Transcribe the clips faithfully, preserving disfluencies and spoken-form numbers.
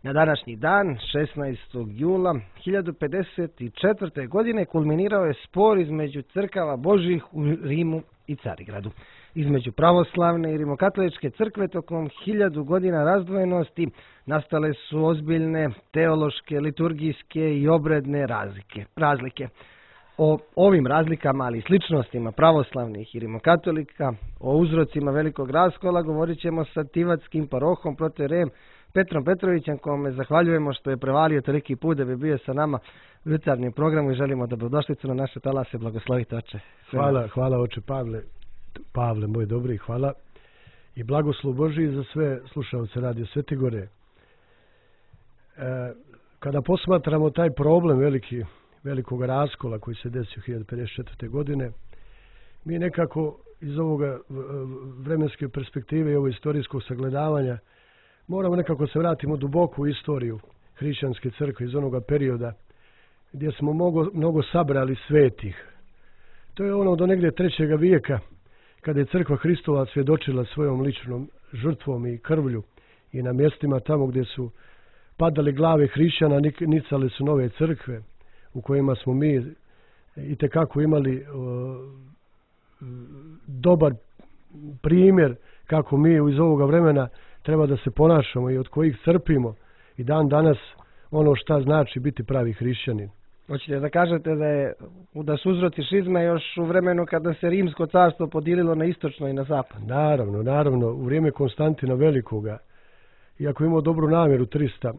Na današnji dan, šesnaestog jula hiljadu pedeset četvrte. godine, kulminirao je spor između crkava Božjih u Rimu i Carigradu. Između pravoslavne i rimokatoličke crkve tokom hiljadu godina razdvojenosti nastale su ozbiljne teološke, liturgijske i obredne razlike. razlike. O ovim razlikama, ali i sličnostima pravoslavnih i rimokatolika, o uzrocima velikog raskola, govorit ćemo sa tivatskim parohom protoijerejem Petrom Petrovićem, kome zahvaljujemo što je prevalio toliki put da bi bio sa nama u jutarnjem programu i želimo dobrodošlicu na naše talase. Blagoslovite, oče. Hvala, hvala oče Pavle, Pavle moj dobri, hvala i blagoslov Božiji za sve slušalce Radio Svete Gore. E, kada posmatramo taj problem veliki, velikog raskola koji se desio hiljadu pedeset četvrte. godine, mi nekako iz ovoga vremenske perspektive i ovog istorijskog sagledavanja moramo nekako se vratimo duboko u istoriju hrišćanske crkve iz onoga perioda gdje smo mnogo, mnogo sabrali svetih. To je ono do negdje trećeg vijeka kada je crkva Hristova svjedočila svojom ličnom žrtvom i krvlju i na mjestima tamo gdje su padali glave hrišćana nicale su nove crkve u kojima smo mi itekako imali o, dobar primjer kako mi iz ovoga vremena treba da se ponašamo i od kojih crpimo i dan danas ono šta znači biti pravi hrišćanin. Hoćete da kažete da, je, da su uzroci šizme još u vremenu kada se Rimsko carstvo podijelilo na istočno i na zapad? Naravno, naravno. U vrijeme Konstantina Velikoga, iako imao dobru namjeru, trista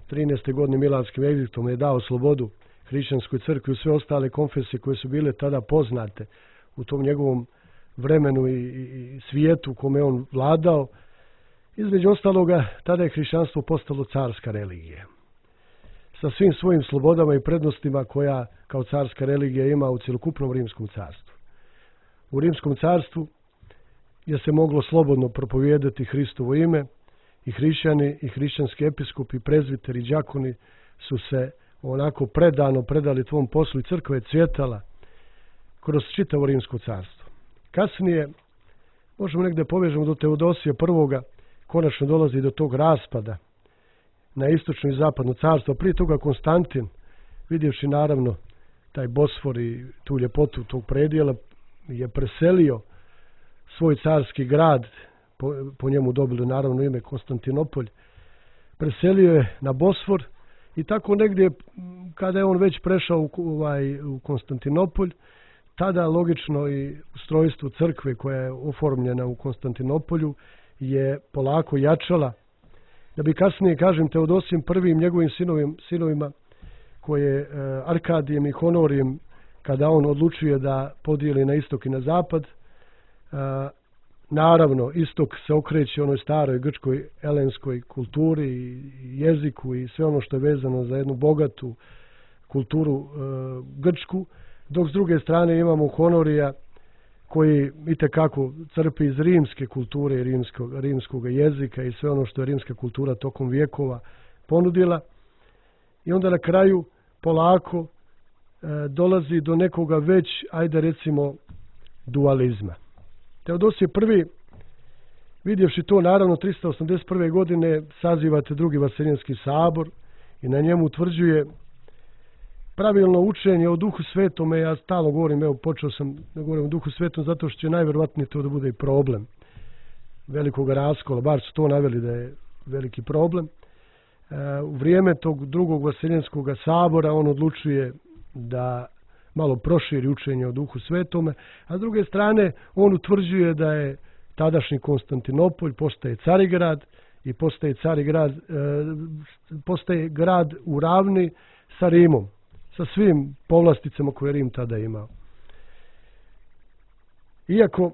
trinaeste. godine Milanskim ediktom je dao slobodu hrišćanskoj crkvi u sve ostale konfesije koje su bile tada poznate u tom njegovom vremenu i, i, i svijetu u kome on vladao. Između ostaloga, tada je hrišćanstvo postalo carska religija. Sa svim svojim slobodama i prednostima koja kao carska religija ima u cjelokupnom Rimskom carstvu. U Rimskom carstvu je se moglo slobodno propovijedati Hristovo ime i hrišćani i hrišćanski episkopi, prezbiteri i đakoni su se onako predano predali tvom poslu i crkva je cvjetala kroz čitavo Rimsko carstvo. Kasnije, možemo negdje povežemo do Teodosija prvoga, konačno dolazi do tog raspada na istočno i zapadno carstvo. Prije toga Konstantin, vidjevši naravno taj Bosfor i tu ljepotu tog predjela, je preselio svoj carski grad, po, po njemu dobili naravno ime Konstantinopolj, preselio je na Bosfor i tako negdje kada je on već prešao u, ovaj, u Konstantinopolj, tada logično i ustrojstvo crkve koja je oformljena u Konstantinopolju je polako jačala, da bi kasnije, kažem, Teodosijem prvim njegovim sinovim, sinovima, koje e, Arkadijem i Honorijem, kada on odlučuje da podijeli na istok i na zapad, e, naravno, istok se okreće onoj staroj grčkoj elenskoj kulturi i jeziku i sve ono što je vezano za jednu bogatu kulturu e, grčku, dok s druge strane imamo Honorija koji itekako crpi iz rimske kulture i rimskog, rimskog jezika i sve ono što je rimska kultura tokom vijekova ponudila. I onda na kraju polako e, dolazi do nekoga već, ajde recimo, dualizma. Teodosije prvi, vidjevši to, naravno tristo osamdeset prve. godine sazivate drugi Vaseljenski sabor i na njemu utvrđuje pravilno učenje o Duhu Svetome. Ja stalno govorim, evo počeo sam da govorim o Duhu Svetom zato što će najvjerovatnije to da bude i problem velikog raskola, bar su to naveli da je veliki problem. E, u vrijeme tog drugog Vaseljenskog sabora on odlučuje da malo proširi učenje o Duhu Svetome, a s druge strane on utvrđuje da je tadašnji Konstantinopolj postaje Carigrad i postaje Carigrad, e, postaje grad u ravni sa Rimom, sa svim povlasticama koje Rim tada imao. Iako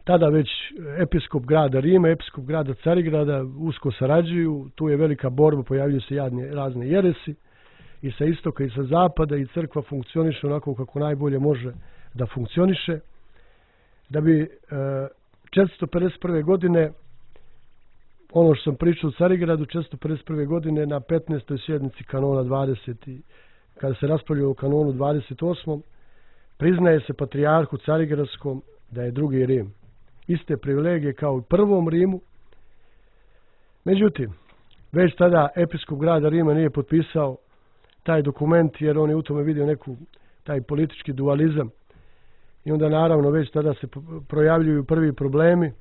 tada već episkop grada Rima, episkop grada Carigrada usko sarađuju, tu je velika borba, pojavljuju se jadne, razne jeresi i sa istoka i sa zapada i crkva funkcioniše onako kako najbolje može da funkcioniše. Da bi e, četiristo pedeset prve. godine, ono što sam pričao u Carigradu, četiristo pedeset prve. godine na petnaestoj sjednici kanona dvadeset, kada se raspravljaju o kanonu dvadeset osmom. priznaje se patrijarhu Carigradskom da je drugi Rim. Iste privilegije kao u prvom Rimu. Međutim, Već tada episkop grada Rima nije potpisao taj dokument jer on je u tome vidio neku taj politički dualizam. I onda naravno već tada se projavljuju prvi problemi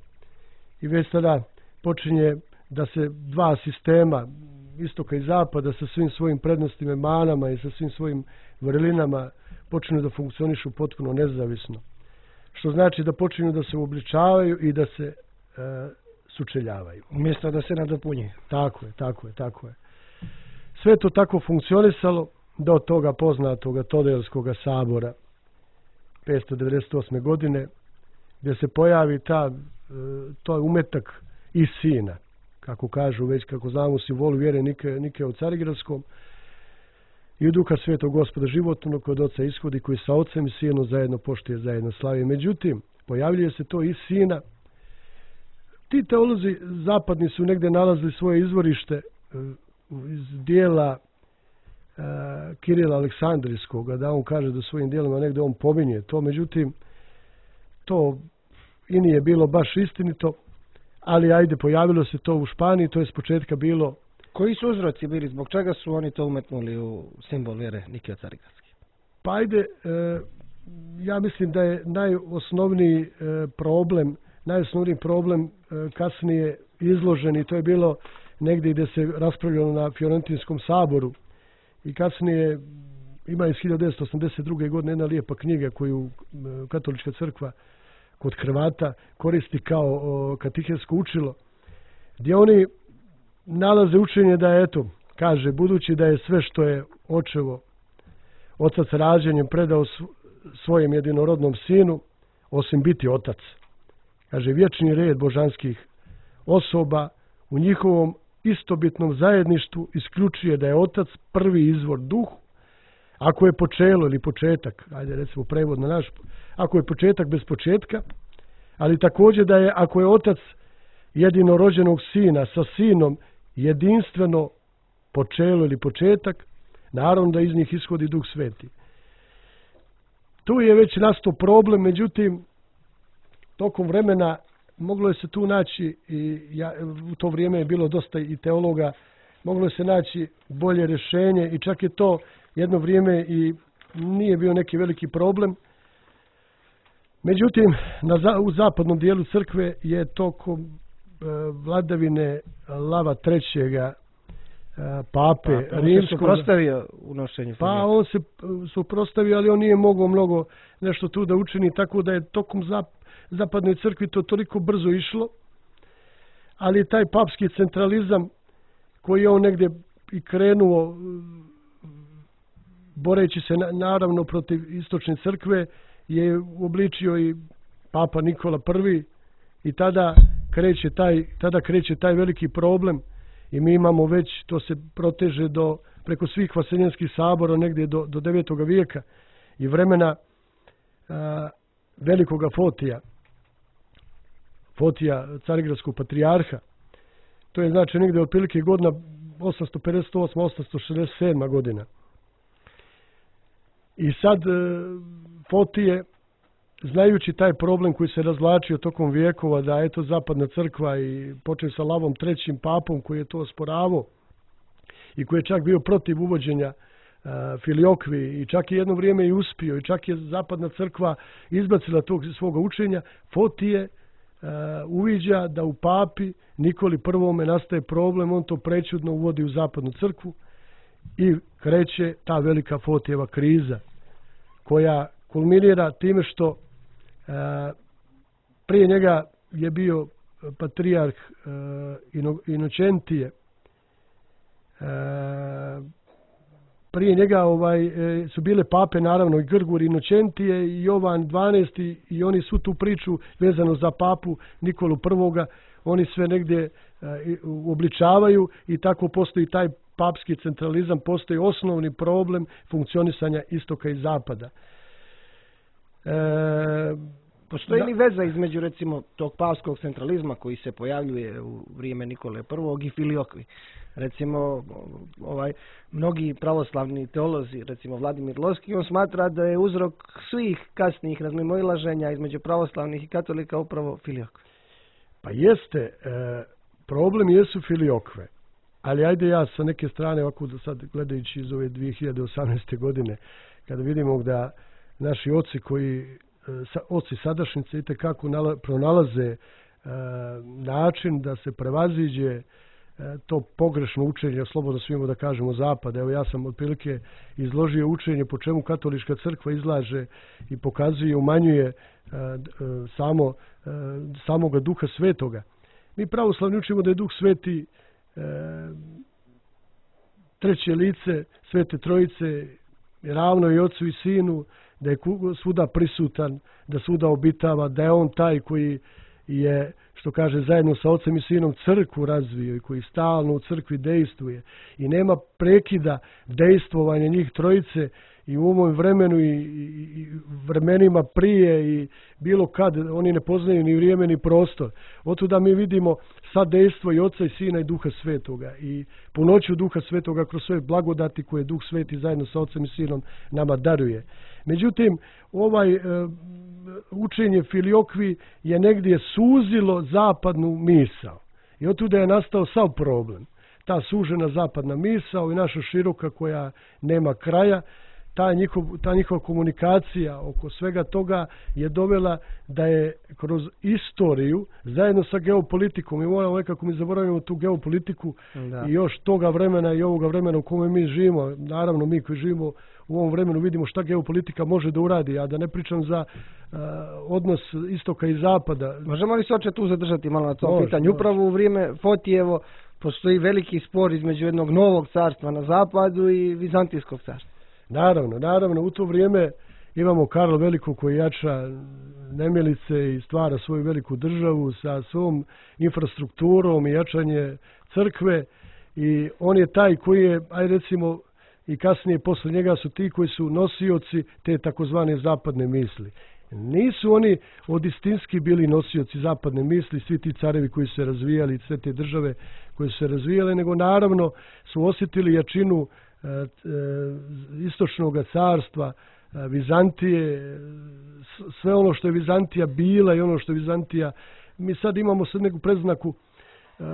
i već tada počinje da se dva sistema, istoka i zapada, sa svim svojim prednostima i manama i sa svim svojim vrlinama počinju da funkcionišu potpuno nezavisno. Što znači da počinju da se uobličavaju i da se e, sučeljavaju. Umjesto da se nadopunjuje. Tako je, tako je, tako je. Sve to tako funkcionisalo do toga poznatoga Todelskog sabora petsto devedeset osme. godine, gdje se pojavi ta, to umetak iz sina, kako kažu već, kako znamo u simbolu vjere Nike, Nike u Carigradskom, i u duha svetog Gospoda životnog kod oca ishodi, koji sa ocem i sinom zajedno poštuje, zajedno slavi. Međutim, pojavljuje se to iz sina. Ti teolozi zapadni su negdje nalazili svoje izvorište iz dijela uh, Kirila Aleksandrijskog, da on kaže da svojim dijelima negdje on pominje to. Međutim, to i nije bilo baš istinito, ali ajde, pojavilo se to u Španiji, to je s početka bilo. Koji su uzroci bili? Zbog čega su oni to umetnuli u simbol vjere Nikija Carigradski? Pa ajde, e, ja mislim da je najosnovniji e, problem, najosnovniji problem e, kasnije izložen, i to je bilo negdje gdje se raspravljalo na Fiorentinskom saboru, i kasnije ima iz hiljadu devetsto osamdeset druge. godine jedna lijepa knjiga koju e, Katolička crkva kod Hrvata koristi kao o, katehetsko učilo, gdje oni nalaze učenje da je, eto, kaže, budući da je sve što je očevo otac rađenjem predao svojem jedinorodnom sinu, osim biti otac. Kaže, vječni red božanskih osoba u njihovom istobitnom zajedništvu isključuje da je otac prvi izvor duh, ako je počelo ili početak, ajde recimo prevod na naš, ako je početak bez početka, ali također da je, ako je otac jedinorođenog sina sa sinom jedinstveno počelo ili početak, naravno da iz njih ishodi Duh Sveti. Tu je već nastao problem, međutim, tokom vremena moglo je se tu naći, i ja, u to vrijeme je bilo dosta i teologa, moglo je se naći bolje rješenje, i čak je to jedno vrijeme i nije bio neki veliki problem. Međutim, na, u zapadnom dijelu crkve je tokom vladavine Lava trećega pape pa, rimskog. se suprostavio unošenju. Pa on se suprostavio, ali on nije mogao mnogo nešto tu da učini, tako da je tokom zap, zapadne crkvi to toliko brzo išlo, ali taj papski centralizam koji je on negdje i krenuo boreći se na, naravno protiv istočne crkve, je uobličio i Papa Nikola prvi, i tada kreće taj, tada kreće taj veliki problem, i mi imamo već, to se proteže do, preko svih vaseljenskih sabora negdje do, do devetoga vijeka i vremena a, velikoga Fotija, Fotija carigradskog patrijarha. To je znači negdje otprilike godina osamsto pedeset osma osamsto šezdeset sedma. godina. I sad e, Fotije, znajući taj problem koji se razvlačio tokom vijekova, da eto zapadna crkva, i počeo sa Lavom trećim papom koji je to osporavao i koji je čak bio protiv uvođenja uh, filiokvi, i čak je jedno vrijeme i uspio, i čak je zapadna crkva izbacila tog svoga učenja, Fotije uh, uviđa da u papi Nikoli prvome nastaje problem, on to prečudno uvodi u zapadnu crkvu i kreće ta velika Fotijeva kriza, koja kulminira time što e, prije njega je bio patrijarh e, Ino, Inocentije. E, prije njega ovaj, e, su bile pape, naravno, i Grgur Inocentije i Jovan dvanaesti, i oni su tu priču vezano za papu Nikolu prvoga, oni sve negdje e, uobličavaju, i tako postoji taj papski centralizam, postoji osnovni problem funkcionisanja istoka i zapada. E, Postoji da, li veza između, recimo, tog papskog centralizma koji se pojavljuje u vrijeme Nikole prvog i filiokvi? Recimo, ovaj, mnogi pravoslavni teolozi, recimo Vladimir Loski, on smatra da je uzrok svih kasnijih razmimoilaženja između pravoslavnih i katolika upravo filiokve. Pa jeste, e, problem jesu filiokve. Ali ajde ja sa neke strane, ovako sad gledajući iz ove dvije hiljade osamnaeste. godine, kada vidimo da naši oci koji, oci sadašnjice itekako pronalaze e, način da se prevaziđe e, to pogrešno učenje, slobodno svimo da kažemo zapada. Evo ja sam otprilike izložio učenje po čemu katolička crkva izlaže i pokazuje, umanjuje e, samo, e, samoga Duha Svetoga. Mi pravoslavni učimo da je Duh Sveti e, treće lice Svete Trojice, ravno i Ocu i Sinu, da je svuda prisutan, da svuda obitava, da je on taj koji je, što kaže, zajedno sa Ocem i Sinom crkvu razvio i koji stalno u crkvi dejstvuje i nema prekida dejstvovanja njih trojice i u ovom vremenu i, i, i vremenima prije i bilo kad. Oni ne poznaju ni vrijeme ni prostor. Otuda mi vidimo sad dejstvo i Oca i Sina i Duha Svetoga i punoću Duha Svetoga kroz svoje blagodati koje Duh Sveti zajedno sa Ocem i Sinom nama daruje. Međutim, ovaj e, učenje filiokvi je negdje suzilo zapadnu misao i otuda je nastao sav problem. Ta sužena zapadna misao i naša široka koja nema kraja, ta, njihov, ta njihova komunikacija oko svega toga je dovela da je kroz istoriju zajedno sa geopolitikom, i moramo nekako mi zaboravimo tu geopolitiku da. I još toga vremena i ovoga vremena u kome mi živimo. Naravno mi koji živimo u ovom vremenu vidimo šta geopolitika može da uradi, a da ne pričam za uh, odnos istoka i zapada. Možemo li se oče tu zadržati malo na to pitanje? Upravo u vrijeme Fotijevo postoji veliki spor između jednog novog carstva na zapadu i Vizantijskog carstva. Naravno, naravno, u to vrijeme imamo Karla Velikog koji jača nemilice i stvara svoju veliku državu sa svom infrastrukturom i jačanje crkve i on je taj koji je, aj recimo, i kasnije posle njega su ti koji su nosioci te takozvane zapadne misli. Nisu oni od istinski bili nosioci zapadne misli, svi ti carevi koji su se razvijali, sve te države koje su se razvijale, nego naravno su osjetili jačinu e, e, istočnog carstva, e, Vizantije, sve ono što je Vizantija bila i ono što je Vizantija. Mi sad imamo sad neku predznaku, Uh,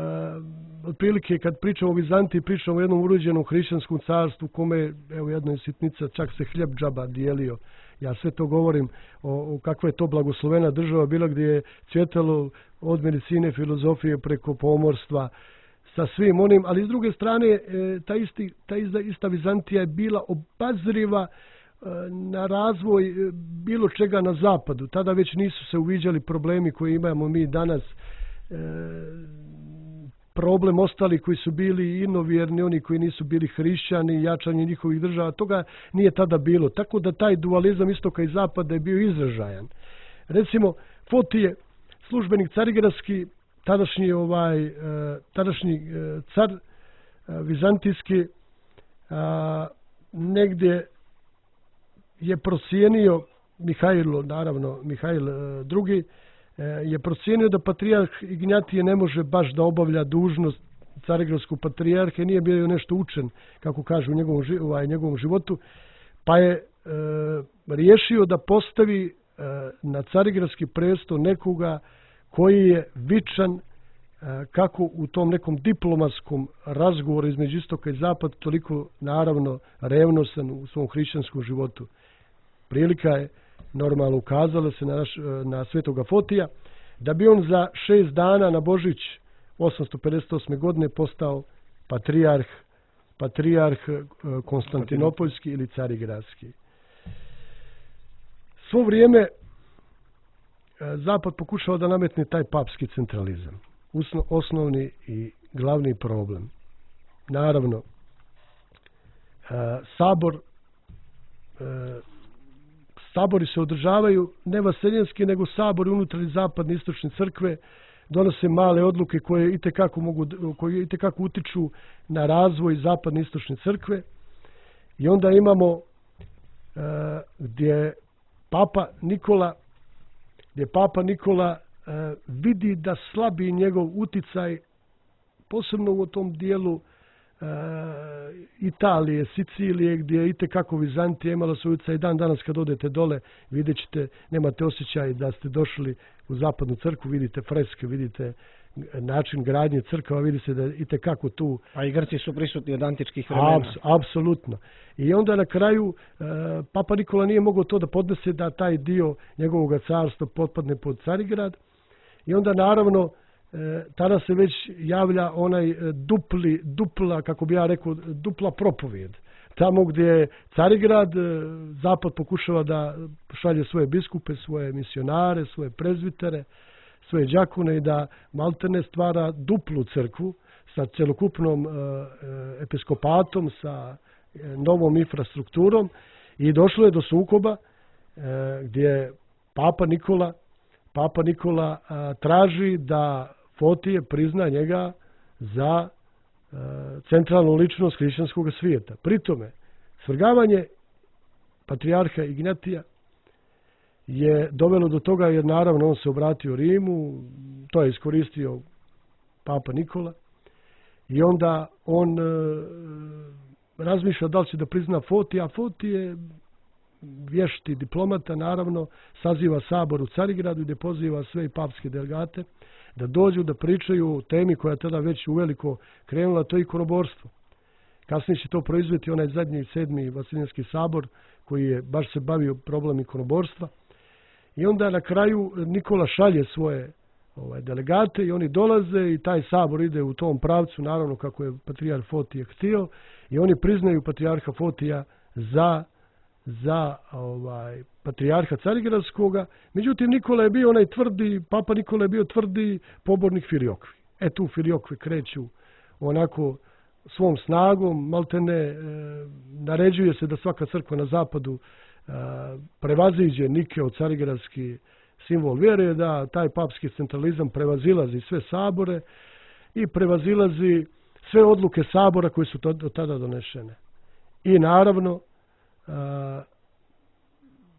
otprilike kad pričamo o Vizantiji, pričamo o jednom urođenom hrišćanskom carstvu kome, evo jedna je sitnica, čak se hljeb džaba dijelio. Ja sve to govorim o, o kakva je to blagoslovena država bila gdje je cvjetalo od medicine, filozofije preko pomorstva sa svim onim, ali s druge strane e, ta, isti, ta ista, ista Vizantija je bila obazriva e, na razvoj e, bilo čega na zapadu. Tada već nisu se uviđali problemi koje imamo mi danas. E, problem ostali koji su bili inovjerni, oni koji nisu bili hrišćani, jačanje njihovih država, toga nije tada bilo. Tako da taj dualizam istoka i zapada je bio izražajan. Recimo, Fotije, službenik carigradski, tadašnji, ovaj, tadašnji car vizantijski, negdje je procijenio, Mihajlo, naravno, Mihajl drugi, je procijenio da patrijarh Ignjatije ne može baš da obavlja dužnost carigradskog patrijarha, nije bio nešto učen, kako kažu u njegovom, ovaj, njegovom životu, pa je e, riješio da postavi e, na carigradski presto nekoga koji je vičan e, kako u tom nekom diplomatskom razgovoru između istoka i zapada, toliko naravno revnosan u svom hrišćanskom životu. Prilika je normalno ukazala se na, naš, na svetoga Fotija, da bi on za šest dana na Božić osamsto pedeset osme. godine postao patrijarh, patrijarh Konstantinopoljski ili carigradski. Svo vrijeme Zapad pokušao da nametne taj papski centralizam. Osnovni i glavni problem. Naravno, sabor Sabori se održavaju ne vaseljenski, nego sabori unutar zapadne istočne crkve donose male odluke koje itekako mogu, koje itekako utiču na razvoj zapadne istočne crkve. I onda imamo uh, gdje Papa Nikola, gdje Papa Nikola uh, vidi da slabi njegov uticaj, posebno u tom dijelu Uh, Italije, Sicilije, gdje je itekako Vizantija imala svoj utjecaj. Dan danas kad odete dole vidjet ćete, nemate osjećaj da ste došli u zapadnu crkvu, vidite freske, vidite način gradnje crkava, vidi se da i tekako tu... A i Grci su prisutni od antičkih vremena. Abs, apsolutno. I onda na kraju e, Papa Nikola nije mogao to da podnese da taj dio njegovog carstva potpadne pod Carigrad. I onda naravno e, tada se već javlja onaj dupli, dupla, kako bi ja rekao, dupla propovijed. Tamo gdje je Carigrad, Zapad pokušava da šalje svoje biskupe, svoje misionare, svoje prezbitere, svoje đakune i da maltene stvara duplu crkvu sa celokupnom e, episkopatom, sa novom infrastrukturom i došlo je do sukoba e, gdje Papa Nikola, Papa Nikola a, traži da Fotije prizna njega za e, centralnu ličnost hrišćanskog svijeta. Pri tome, svrgavanje patrijarha Ignatija je dovelo do toga jer naravno on se obratio Rimu, to je iskoristio Papa Nikola i onda on e, razmišlja da li će da prizna Fotija, a Fotije vješti diplomata naravno saziva sabor u Carigradu gdje poziva sve i papske delegate da dođu da pričaju o temi koja je tada već uveliko krenula, to je ikonoborstvo. Kasnije će to proizvesti onaj zadnji sedmi Vaseljenski sabor koji je baš se bavio problem ikonoborstva. I onda na kraju Nikola šalje svoje ovaj, delegate i oni dolaze i taj sabor ide u tom pravcu, naravno kako je patrijarh Fotije htio i oni priznaju patrijarha Fotija za, za ovaj, patrijarha Carigradskoga. Međutim, Nikola je bio onaj tvrdi, Papa Nikola je bio tvrdi pobornik Filiokvi. E tu Filiokvi kreću onako svom snagom, maltene e, naređuje se da svaka crkva na zapadu e, prevaziđe Nikeo carigradski simbol vjere, da taj papski centralizam prevazilazi sve sabore i prevazilazi sve odluke sabora koje su to, do tada donešene. I naravno e,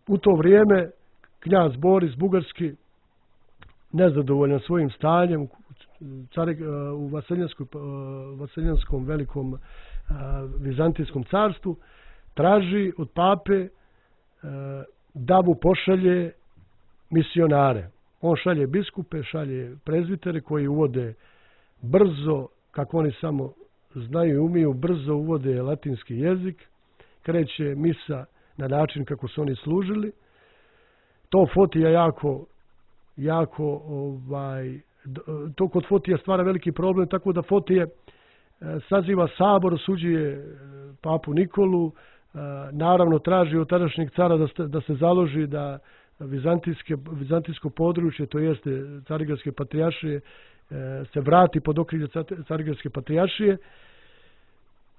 u to vrijeme knjaz Boris Bugarski, nezadovoljan svojim stanjem u Vaseljanskom velikom vizantijskom carstvu, traži od pape da mu pošalje misionare. On šalje biskupe, šalje prezbitere koji uvode brzo, kako oni samo znaju i umiju, brzo uvode latinski jezik, kreće misa na način kako su oni služili. To Fotija jako, jako ovaj, to kod Fotija stvara veliki problem, tako da Fotije saziva sabor, osuđuje papu Nikolu, naravno traži od tadašnjeg cara da, da se založi da vizantijske, vizantijsko područje, to jeste Carigradske patrijaršije, se vrati pod okrilje Carigradske patrijaršije.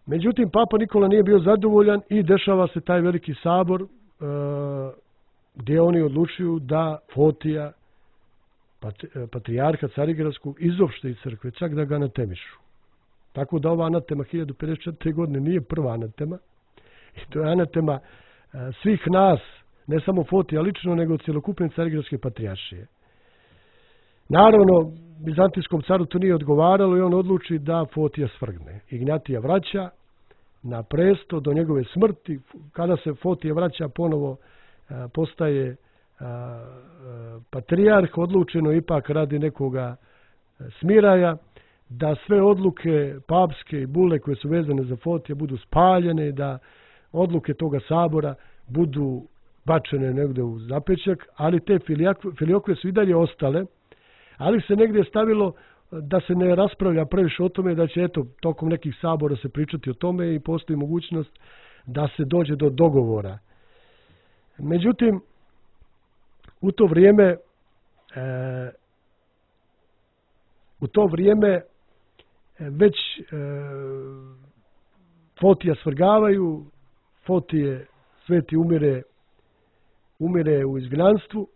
Međutim, Papa Nikola nije bio zadovoljan i dešava se taj veliki sabor gdje oni odlučuju da Fotija, patrijarha Carigradskog, izopšte iz crkve, čak da ga anatemišu. Tako da ova anatema hiljadu pedeset četvrte. godine nije prva anatema. I to je anatema svih nas, ne samo Fotija lično, nego cjelokupne Carigradske patrijaršije. Naravno, Bizantijskom caru to nije odgovaralo i on odluči da Fotija svrgne. Ignatija vraća na presto do njegove smrti. Kada se Fotija vraća, ponovo postaje patrijarh, odlučeno ipak radi nekoga smiraja da sve odluke papske i bule koje su vezane za Fotija budu spaljene, da odluke toga sabora budu bačene negdje u zapećak, ali te filiokve su i dalje ostale, ali se negdje stavilo da se ne raspravlja previše o tome, da će eto tokom nekih sabora se pričati o tome i postoji mogućnost da se dođe do dogovora. Međutim, u to vrijeme e, u to vrijeme već e, Fotija svrgavaju, Fotije sveti umire, umire u izgnanstvu,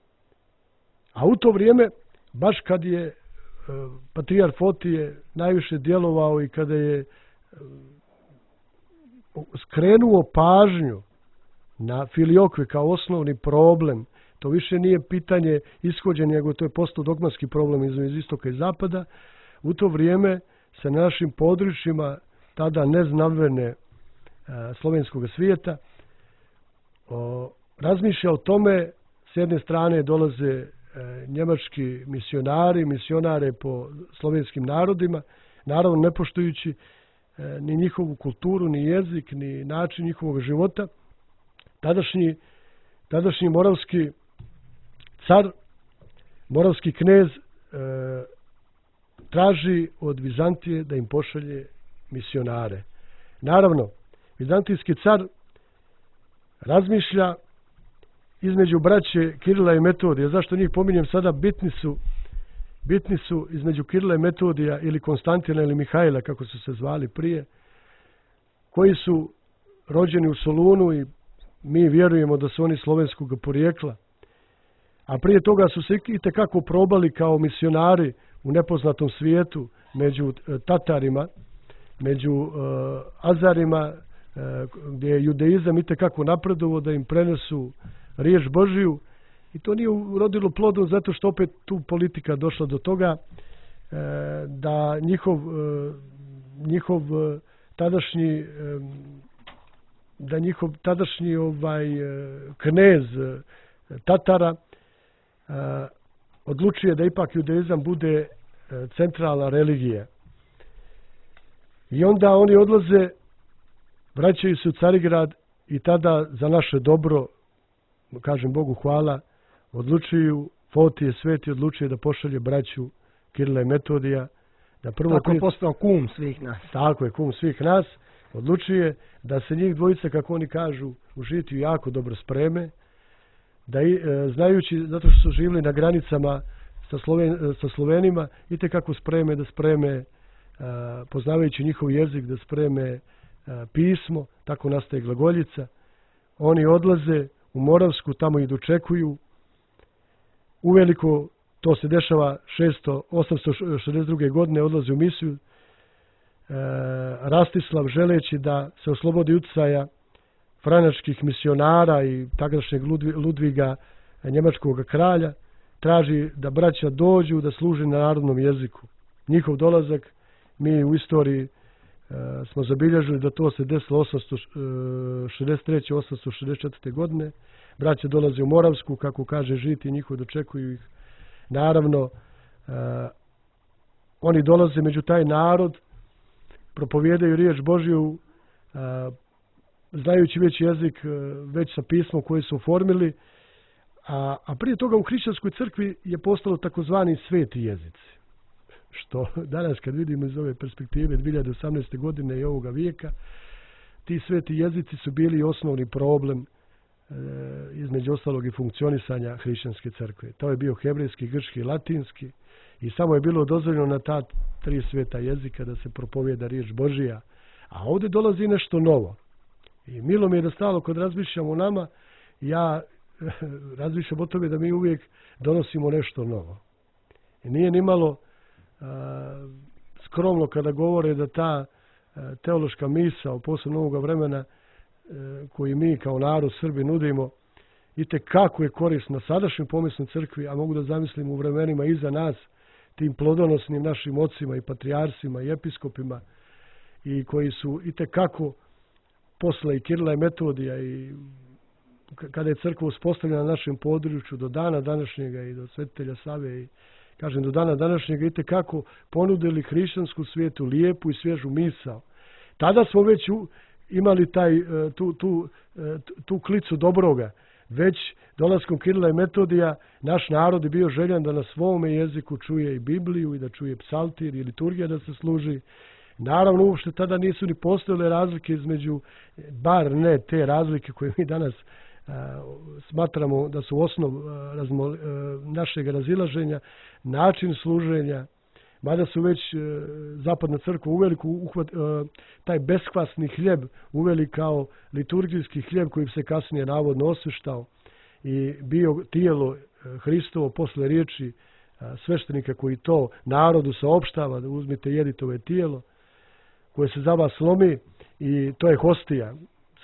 a u to vrijeme, baš kad je e, patrijarh Fotije najviše djelovao i kada je e, skrenuo pažnju na filiokve kao osnovni problem, to više nije pitanje ishođenja, nego to je postao dogmatski problem iz istoka i zapada. U to vrijeme se na našim područjima tada neznaverne e, slovenskog svijeta o, razmišlja o tome, s jedne strane dolaze e, njemački misionari, misionare po slovenskim narodima, naravno ne poštujući ni njihovu kulturu, ni jezik, ni način njihovog života. Tadašnji, tadašnji moravski car, moravski knez e, traži od Vizantije da im pošalje misionare. Naravno, vizantijski car razmišlja između braće Kirila i Metodija. Zašto njih pominjem sada? Bitni su, bitni su između Kirila i Metodija ili Konstantina ili Mihajla, kako su se zvali prije, koji su rođeni u Solunu i mi vjerujemo da su oni slovenskog porijekla. A prije toga su se itekako probali kao misionari u nepoznatom svijetu među Tatarima, među uh, Azarima, uh, gdje je judeizam itekako napredovao da im prenesu riječ Božiju. I to nije urodilo plodom zato što opet tu politika došla do toga uh, da njihov, uh, njihov uh, tadašnji um, da njihov tadašnji ovaj uh, knez uh, Tatara uh, odlučuje da ipak judeizam bude uh, centralna religija. I onda oni odlaze, vraćaju se u Carigrad i tada za naše dobro, kažem Bogu hvala, odlučuju, Fotije Sveti odlučuje da pošalje braću Kirila i Metodija. Da prvo tako je prije, postao kum svih nas. Tako je, kum svih nas. Odlučuje da se njih dvojica, kako oni kažu, u žitiju jako dobro spreme, da i, e, znajući, zato što su živjeli na granicama sa, Sloven, sa Slovenima, i te kako spreme da spreme, Uh, poznavajući njihov jezik, da spreme uh, pismo, tako nastaje glagoljica. Oni odlaze u Moravsku, tamo ih dočekuju. Uveliko, to se dešava osamsto šezdeset druge godine, odlaze u misiju. Uh, Rastislav, želeći da se oslobodi utjecaja franačkih misionara i tadašnjeg Ludviga, njemačkog kralja, traži da braća dođu da služe na narodnom jeziku. Njihov dolazak, mi u istoriji uh, smo zabilježili da to se desilo osamsto šezdeset treće osamsto šezdeset četvrte godine. Braća dolaze u Moravsku, kako kaže žiti, njihovi dočekuju ih. Naravno, uh, oni dolaze među taj narod, propovijedaju riječ Božju, uh, znajući već jezik, uh, već sa pismom koje su oformili, a, a prije toga u hrišćanskoj crkvi je postalo takozvani sveti jezici. Što danas kad vidimo iz ove perspektive dvije hiljade osamnaeste. godine i ovoga vijeka, ti sveti jezici su bili osnovni problem e, između ostalog i funkcionisanja hrišćanske crkve. To je bio hebrejski, grčki i latinski i samo je bilo dozvoljeno na ta tri sveta jezika da se propovijeda riječ Božija. A ovdje dolazi nešto novo. I milo mi je da stalo kad razmišljam o nama, ja razmišljam o tome da mi uvijek donosimo nešto novo. I nije ni malo skromno kada govore da ta teološka misao, posebno ovoga vremena koji mi kao narod Srbi nudimo, i te kako je korisna sadašnjoj pomisnoj crkvi, a mogu da zamislim u vremenima iza nas, tim plodonosnim našim ocima i patrijarsima i episkopima, i koji su i te kako posle i Kirila i Metodija i kada je crkva uspostavljena na našem području do dana današnjega i do svetitelja Save i kažem do dana današnjega i te kako ponudili hrišćansku svijetu lijepu i svježu misao. Tada smo već u, imali taj, tu, tu, tu klicu dobroga. Već dolaskom Kirila i Metodija naš narod je bio željan da na svome jeziku čuje i Bibliju i da čuje psaltir i liturgija da se služi. Naravno, uopšte tada nisu ni postojale razlike između, bar ne te razlike koje mi danas a, smatramo da su osnov a, razmo, a, našeg razilaženja, način služenja, mada su već a, zapadna crkva uveli uhvat, a, taj beskvasni hljeb uveli kao liturgijski hljeb koji se kasnije navodno osveštao i bio tijelo Hristovo posle riječi a, sveštenika koji to narodu saopštava, da uzmite jedite ove tijelo koje se za vas slomi i to je hostija,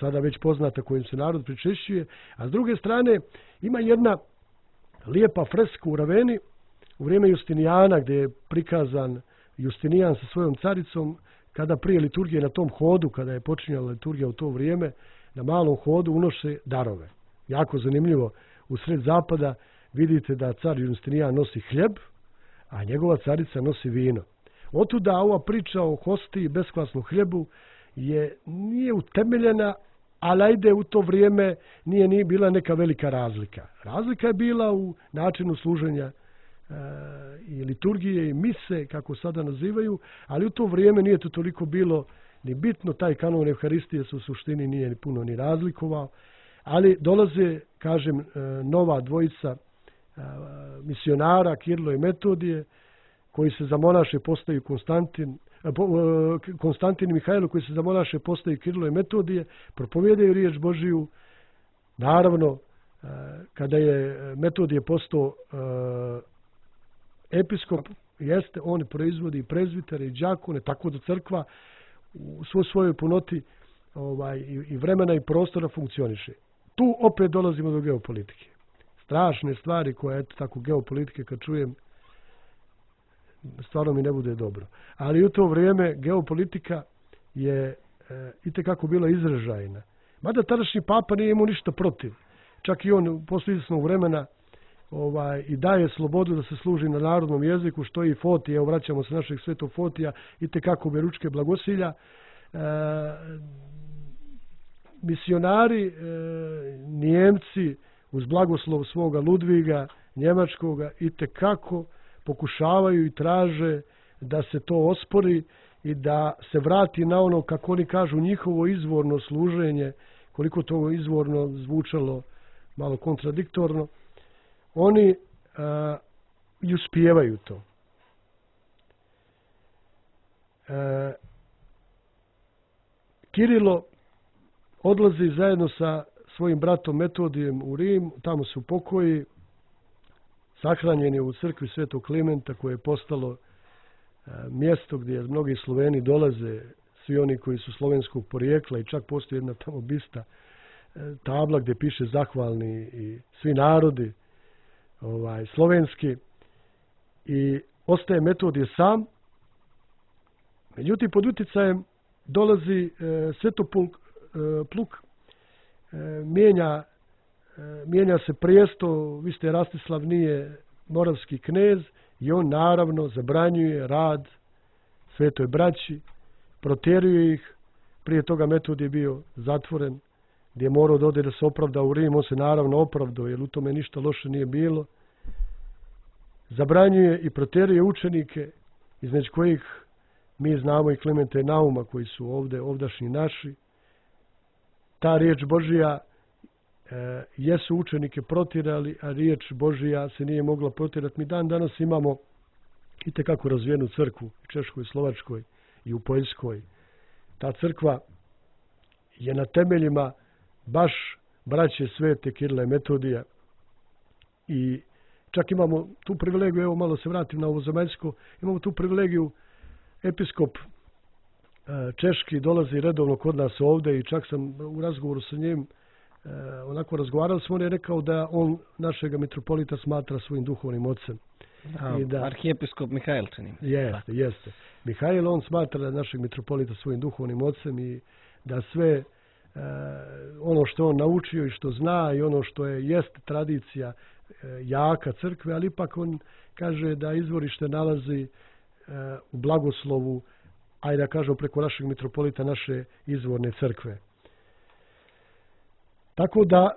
sada već poznata kojim se narod pričešćuje. A s druge strane ima jedna lijepa freska u Raveni u vrijeme Justinijana gdje je prikazan Justinijan sa svojom caricom kada prije liturgije na tom hodu, kada je počinjala liturgija u to vrijeme, na malom hodu unoše darove. Jako zanimljivo, u sred zapada vidite da car Justinijan nosi hljeb, a njegova carica nosi vino. Otuda ova priča o hostiji i beskvasnom hljebu je, nije utemeljena, ali ajde u to vrijeme nije ni bila neka velika razlika. Razlika je bila u načinu služenja e, i liturgije i mise, kako sada nazivaju, ali u to vrijeme nije to toliko bilo ni bitno. Taj kanon Evharistije se u suštini nije ni puno ni razlikovao, ali dolaze, kažem, e, nova dvojica e, misionara, Kirilo i Metodije, koji se za monaše postaju Konstantin, Konstantin i Mihajlo, koji se za monaše postaju Kirilo i Metodije, propovijedaju riječ Božiju. Naravno, kada je Metodije postao episkop, jeste, on proizvodi i prezbitere i đakone, tako da crkva u svoj svojoj punoti ovaj, i vremena i prostora funkcioniše. Tu opet dolazimo do geopolitike. Strašne stvari koje, eto tako, geopolitike kad čujem, stvarno mi ne bude dobro. Ali u to vrijeme geopolitika je e, itekako bila izražajna. Mada tadašnji papa nije imao ništa protiv. Čak i on posle izvjesnog vremena ovaj, i daje slobodu da se služi na narodnom jeziku, što i Fotije, evo vraćamo se našeg svetog Fotija, itekako beručke blagosilja. E, misionari, e, Njemci, uz blagoslov svoga Ludviga, Njemačkoga, itekako pokušavaju i traže da se to ospori i da se vrati na ono, kako oni kažu, njihovo izvorno služenje, koliko to izvorno zvučalo malo kontradiktorno. Oni a, i uspijevaju to. A, Kirilo odlazi zajedno sa svojim bratom Metodijem u Rim, tamo se upokoji, sahranjen je u crkvi Svetog Klimenta, koje je postalo a, mjesto gdje mnogi Sloveni dolaze, svi oni koji su slovenskog porijekla, i čak postoji jedna tamo bista a, tabla gdje piše zahvalni i svi narodi ovaj, slovenski, i ostaje Metodije sam. Međutim, pod utjecajem dolazi e, Svetopluk, e, pluk, e, mijenja mijenja se prijesto, vi ste Rastislav nije moravski knez, i on naravno zabranjuje rad svetoj braći, protjeruje ih. Prije toga Metod je bio zatvoren, gdje je morao da ode da se opravda u Rim. On se naravno opravdao, jer u tome ništa loše nije bilo. Zabranjuje i protjeruje učenike, između kojih mi znamo i Klimenta i Nauma, koji su ovdje ovdašnji naši. Ta riječ Božija E, jesu učenike protjerali, a riječ Božija se nije mogla protjerati. Mi dan danas imamo itekako razvijenu crkvu u Češkoj, Slovačkoj i u Poljskoj. Ta crkva je na temeljima baš braće svete Kirila i Metodija, i čak imamo tu privilegiju, evo malo se vratim na ovo zemaljsko, imamo tu privilegiju, episkop e, češki dolazi redovno kod nas ovdje, i čak sam u razgovoru sa njim E, onako razgovarali smo, on je rekao da on našega mitropolita smatra svojim duhovnim ocem. A, I da, arhijepiskop Mihajl, čini. Jeste, jeste. Mihajl, on smatra našeg mitropolita svojim duhovnim ocem, i da sve e, ono što on naučio i što zna i ono što je jest tradicija e, jaka crkve, ali ipak on kaže da izvorište nalazi e, u blagoslovu, ajde da kažemo preko našeg mitropolita, naše izvorne crkve. Tako da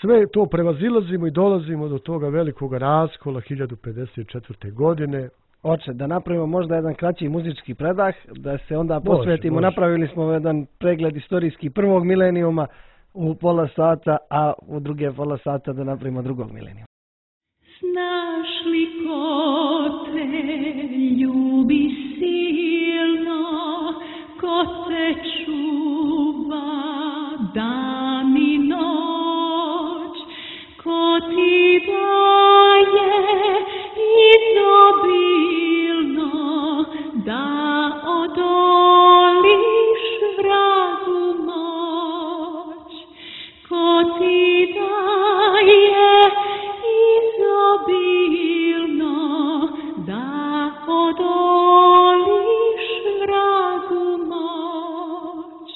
sve to prevazilazimo i dolazimo do toga velikog raskola hiljadu pedeset četvrte. godine. Oče, da napravimo možda jedan kraći muzički predah, da se onda posvetimo. Može, može. Napravili smo jedan pregled istorijski prvog milenijuma u pola sata, a u druge pola sata da napravimo drugog milenijuma. Znaš li ko te ljubi silno, ko te čuva dan i noć, ko ti daje izobilno da odoliš vragu moć, ko ti daje izobilno da odoliš vragu moć.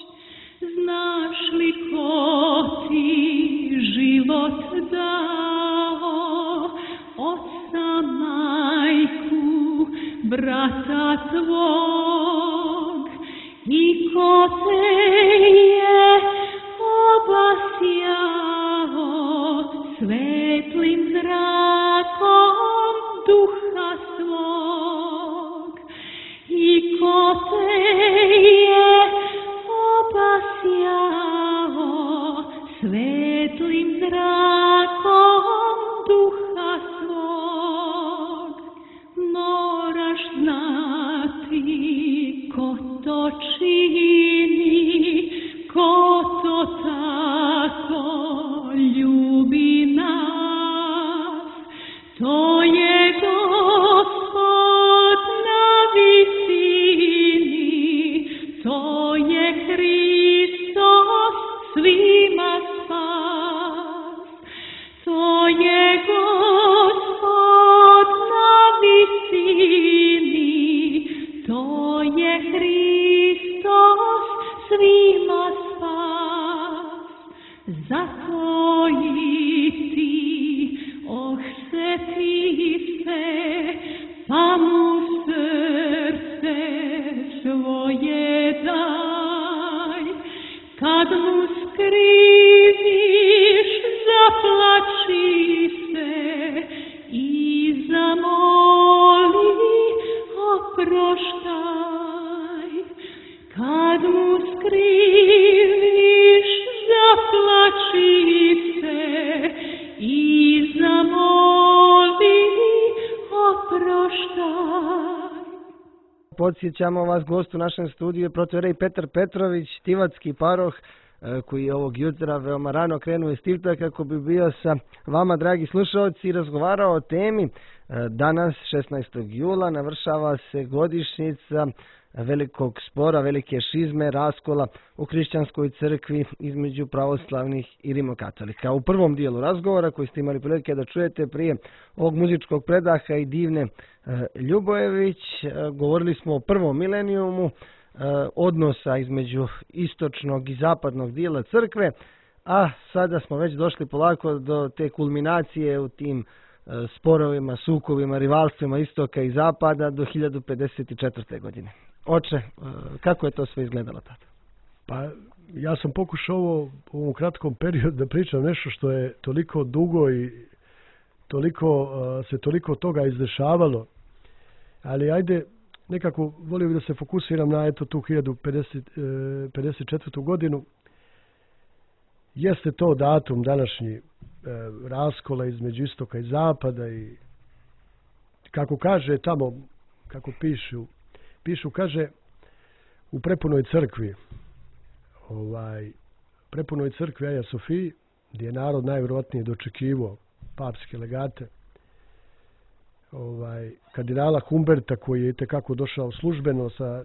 Znaš li ko ti život dao ima spas, zato i ti ohseti se, pa mu srce svoje daj. Kad mu skriviš, zaplači se i zamoli, oproštaj. Kad mu skriviš, zaplači se i zamoli, oproštaj. Podsjećamo vas, gost u našem studiju je protoijerej Petar Petrović, Tivatski paroh, koji je ovog jutra veoma rano krenuo iz Tivta kako bi bio sa vama, dragi slušalci, i razgovarao o temi. Danas, šesnaestog jula, navršava se godišnjica velikog spora, velike šizme, raskola u hrišćanskoj crkvi između pravoslavnih i rimokatolika. U prvom dijelu razgovora, koji ste imali prilike da čujete prije ovog muzičkog predaha i Divne Ljubojević, govorili smo o prvom milenijumu, odnosa između istočnog i zapadnog dijela crkve, a sada smo već došli polako do te kulminacije u tim sporovima, sukovima, rivalstvima istoka i zapada do hiljadu pedeset četvrte. godine. Oče, kako je to sve izgledalo tada? Pa ja sam pokušao ovo, u ovom kratkom periodu da pričam nešto što je toliko dugo i toliko, se toliko toga izdešavalo, ali ajde, nekako volio bih da se fokusiram na eto tu hiljadu pedeset četvrtu. godinu. Jeste to datum današnji e, raskola između istoka i zapada i kako kaže tamo, kako pišu, pišu kaže u prepunoj crkvi, ovaj, prepunoj crkvi Aja Sofiji, gdje je narod najvjerojatnije dočekivao papske legate, ovaj, kardinala Humberta, koji je itekako došao službeno sa e,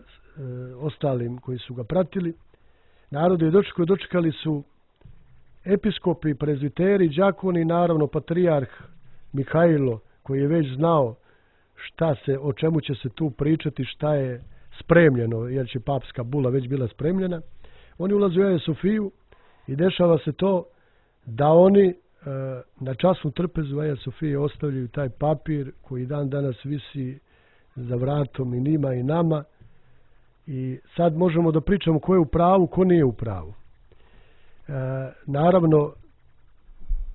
ostalim koji su ga pratili. Narod je dočekao, dočekali su episkopi, prezviteri, đakoni, naravno patrijarh Mihajlo, koji je već znao šta se, o čemu će se tu pričati, šta je spremljeno, jer će papska bula već bila spremljena. Oni ulaze u Aja Sofiju i dešava se to da oni na časnu trpezu Aja Sofije ostavljaju taj papir koji dan danas visi za vratom i njima i nama, i sad možemo da pričamo ko je u pravu, ko nije u pravu. E, naravno,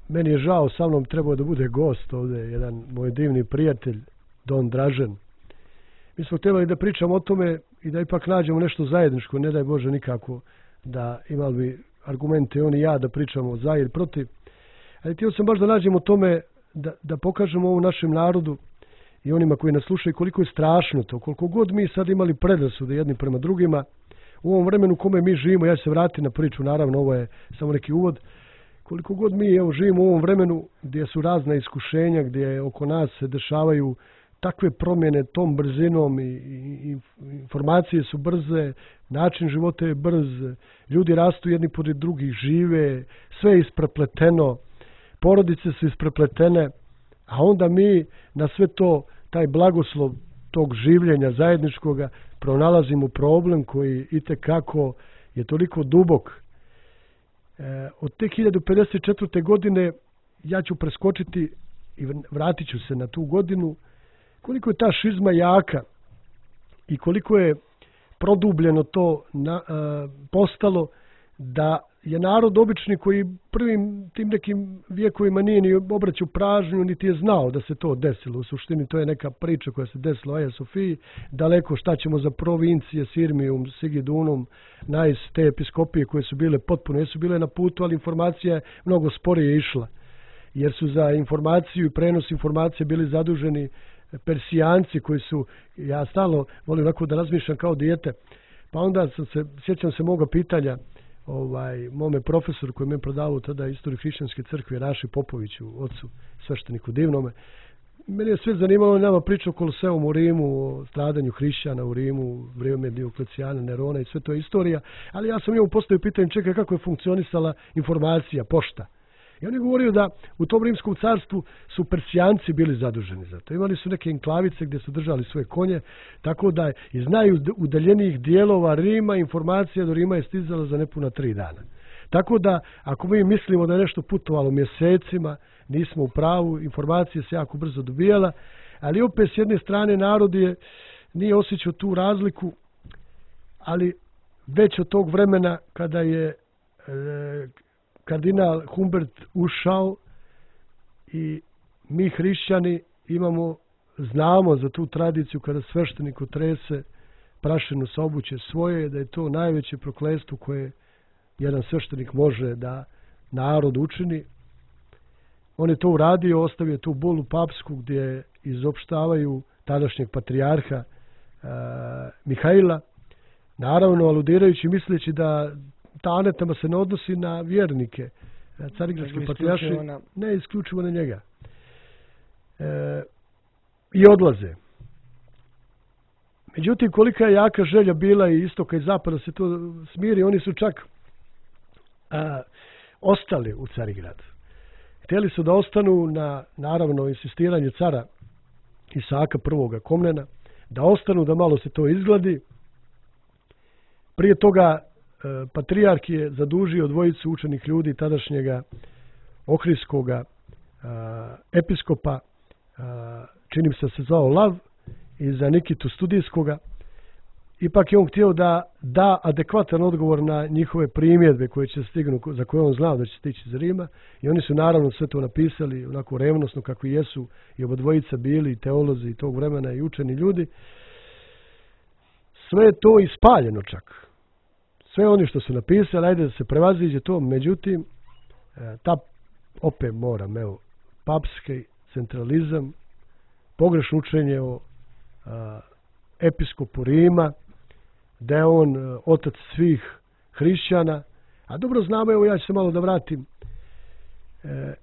meni je žao, sa mnom trebao da bude gost ovdje, jedan moj divni prijatelj, Don Dražen. Mi smo trebali da pričamo o tome i da ipak nađemo nešto zajedničko, ne daj Bože nikako da imali bi argumente on i ja da pričamo za ili protiv. Ali htio sam baš da nađemo o tome, da, da pokažemo ovom našem narodu i onima koji nas slušaju koliko je strašno to, koliko god mi sad imali predrasude jedni prema drugima, u ovom vremenu u kome mi živimo, ja se vratim na priču, naravno ovo je samo neki uvod, koliko god mi evo, živimo u ovom vremenu gdje su razna iskušenja, gdje oko nas se dešavaju takve promjene tom brzinom i, i, i informacije su brze, način života je brz, ljudi rastu jedni pored drugih, žive, sve je isprepleteno, porodice su isprepletene, a onda mi na sve to, taj blagoslov tog življenja zajedničkoga, pronalazimo problem koji itekako je toliko dubok. E, od te hiljadu pedeset četvrte. godine ja ću preskočiti i vratit ću se na tu godinu, koliko je ta šizma jaka i koliko je produbljeno to na, a, postalo, da je narod obični koji prvim tim nekim vijekovima nije ni obraćao pažnju, niti je znao da se to desilo. U suštini to je neka priča koja se desila u Aja Sofiji, daleko šta ćemo za provincije, Sirmijum, Sigidunum, Najs, te episkopije koje su bile potpuno, jesu bile na putu, ali informacija je mnogo sporije išla, jer su za informaciju i prenos informacije bili zaduženi Persijanci koji su, ja stalno volim onako da razmišljam kao dijete, pa onda sam se, sjećam se moga pitanja ovaj, mome profesoru koji me prodavao tada istoriju hrišćanske crkve, Raši Popoviću, ocu svešteniku divnome. Mene je sve zanimalo, nama priča o Koloseumu u Rimu, o stradanju hrišćana u Rimu, vrijeme Dioklecijana, Nerona i sve to je istorija, ali ja sam njemu postavio pitanje, čekaj, kako je funkcionisala informacija, pošta. I on je govorio da u tom rimskom carstvu su Persijanci bili zaduženi za to. Imali su neke enklavice gdje su držali svoje konje, tako da iz najudaljenijih dijelova Rima informacija do Rima je stizala za nepuna tri dana. Tako da, ako mi mislimo da je nešto putovalo mjesecima, nismo u pravu, informacija se jako brzo dobijala, ali opet s jedne strane narod je nije osjećao tu razliku, ali već od tog vremena kada je e, kardinal Humbert ušao i mi hrišćani imamo, znamo za tu tradiciju kada sveštenik otrese prašinu sa obuće svoje, da je to najveće prokletstvo koje jedan sveštenik može da narod učini. On je to uradio, ostavio tu bulu papsku gdje izopštavaju tadašnjeg patrijarha e, Mihajla, naravno aludirajući misleći da ta anetema se ne odnosi na vjernike. Carigradski patrijarši ne isključivo na njega. E, I odlaze. Međutim, kolika je jaka želja bila i istoka i zapada se to smiri, oni su čak a, ostali u Carigradu. Htjeli su da ostanu na, naravno, insistiranje cara Isaka prvoga Komnena, da ostanu, da malo se to izgladi. Prije toga e, patrijarh je zadužio dvojicu učenih ljudi tadašnjega ohridskoga episkopa, a, činim se se zvao Lav, i za Nikitu Studijskoga. Ipak je on htio da da adekvatan odgovor na njihove primjedbe koje će stignu, za koje on znao da će stići iz Rima, i oni su naravno sve to napisali onako revnosno kakvi jesu i obadvojica bili teolozi tog vremena i učeni ljudi. Sve je to ispaljeno čak. Sve oni što su napisali, ajde da se prevaziđe to, međutim, ta opet moram, evo, papski centralizam, pogrešno učenje o a, episkopu Rima, da je on a, otac svih hrišćana, a dobro znamo, evo ja ću se malo da vratim, e,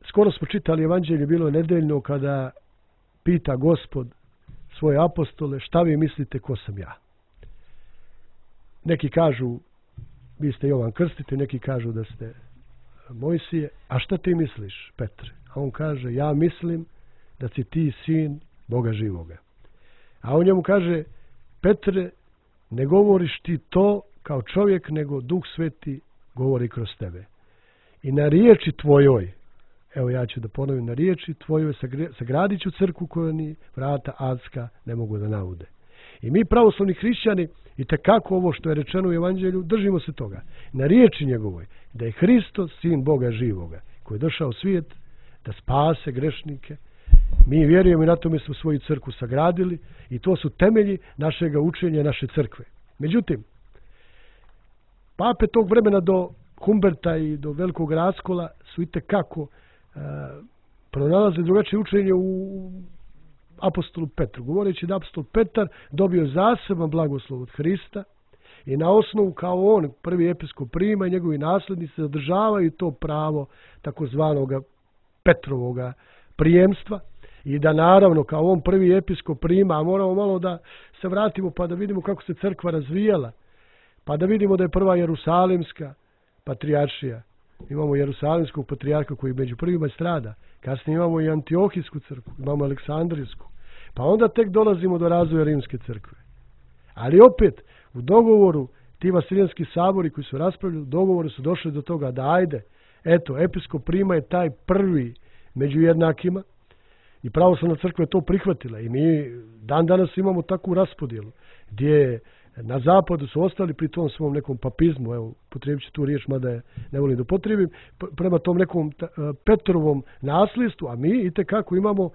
skoro smo čitali evanđelje, bilo je nedeljno, kada pita Gospod svoje apostole, šta vi mislite ko sam ja? Neki kažu, vi ste Jovan Krstitelj, neki kažu da ste Mojsije, a šta ti misliš, Petre? A on kaže, ja mislim da si ti sin Boga živoga. A on njemu kaže, Petre, ne govoriš ti to kao čovjek, nego Duh Sveti govori kroz tebe. I na riječi tvojoj, evo ja ću da ponovim, na riječi tvojoj sagradit ću crkvu koju ni vrata adska ne mogu da naude. I mi pravoslavni hrišćani, i tekako ovo što je rečeno u evanđelju, držimo se toga. Na riječi njegovoj, da je Hristos sin Boga živoga, koji je došao u svijet da spase grešnike. Mi vjerujemo i na tome smo svoju crkvu sagradili i to su temelji našega učenja, naše crkve. Međutim, pape tog vremena do Humberta i do velikog raskola su i tekako uh, pronalaze drugačije učenje u apostolu Petru, govoreći da apostol Petar dobio zaseban blagoslov od Hrista i na osnovu kao on, prvi episkop Rima i njegovi naslednici zadržavaju to pravo takozvanog Petrovoga prijemstva i da naravno kao on prvi episkop Rima, a moramo malo da se vratimo pa da vidimo kako se crkva razvijala, pa da vidimo da je prva Jerusalimska patrijaršija. Imamo Jerusalimskog patrijarha koji među prvima strada. Kasnije imamo i Antiohijsku crkvu, imamo Aleksandrijsku. Pa onda tek dolazimo do razvoja Rimske crkve. Ali opet, u dogovoru, ti Vasiljanski sabori koji su raspravljali, u dogovoru su došli do toga da ajde, eto, episkop Rima je taj prvi među jednakima i pravoslavna crkva je to prihvatila. I mi dan danas imamo takvu raspodjelu gdje na zapadu su ostali pri tom svom nekom papizmu, evo, potrebit ću tu riječ, mada je ne volim da potrebim, prema tom nekom Petrovom nasljedstvu, a mi itekako imamo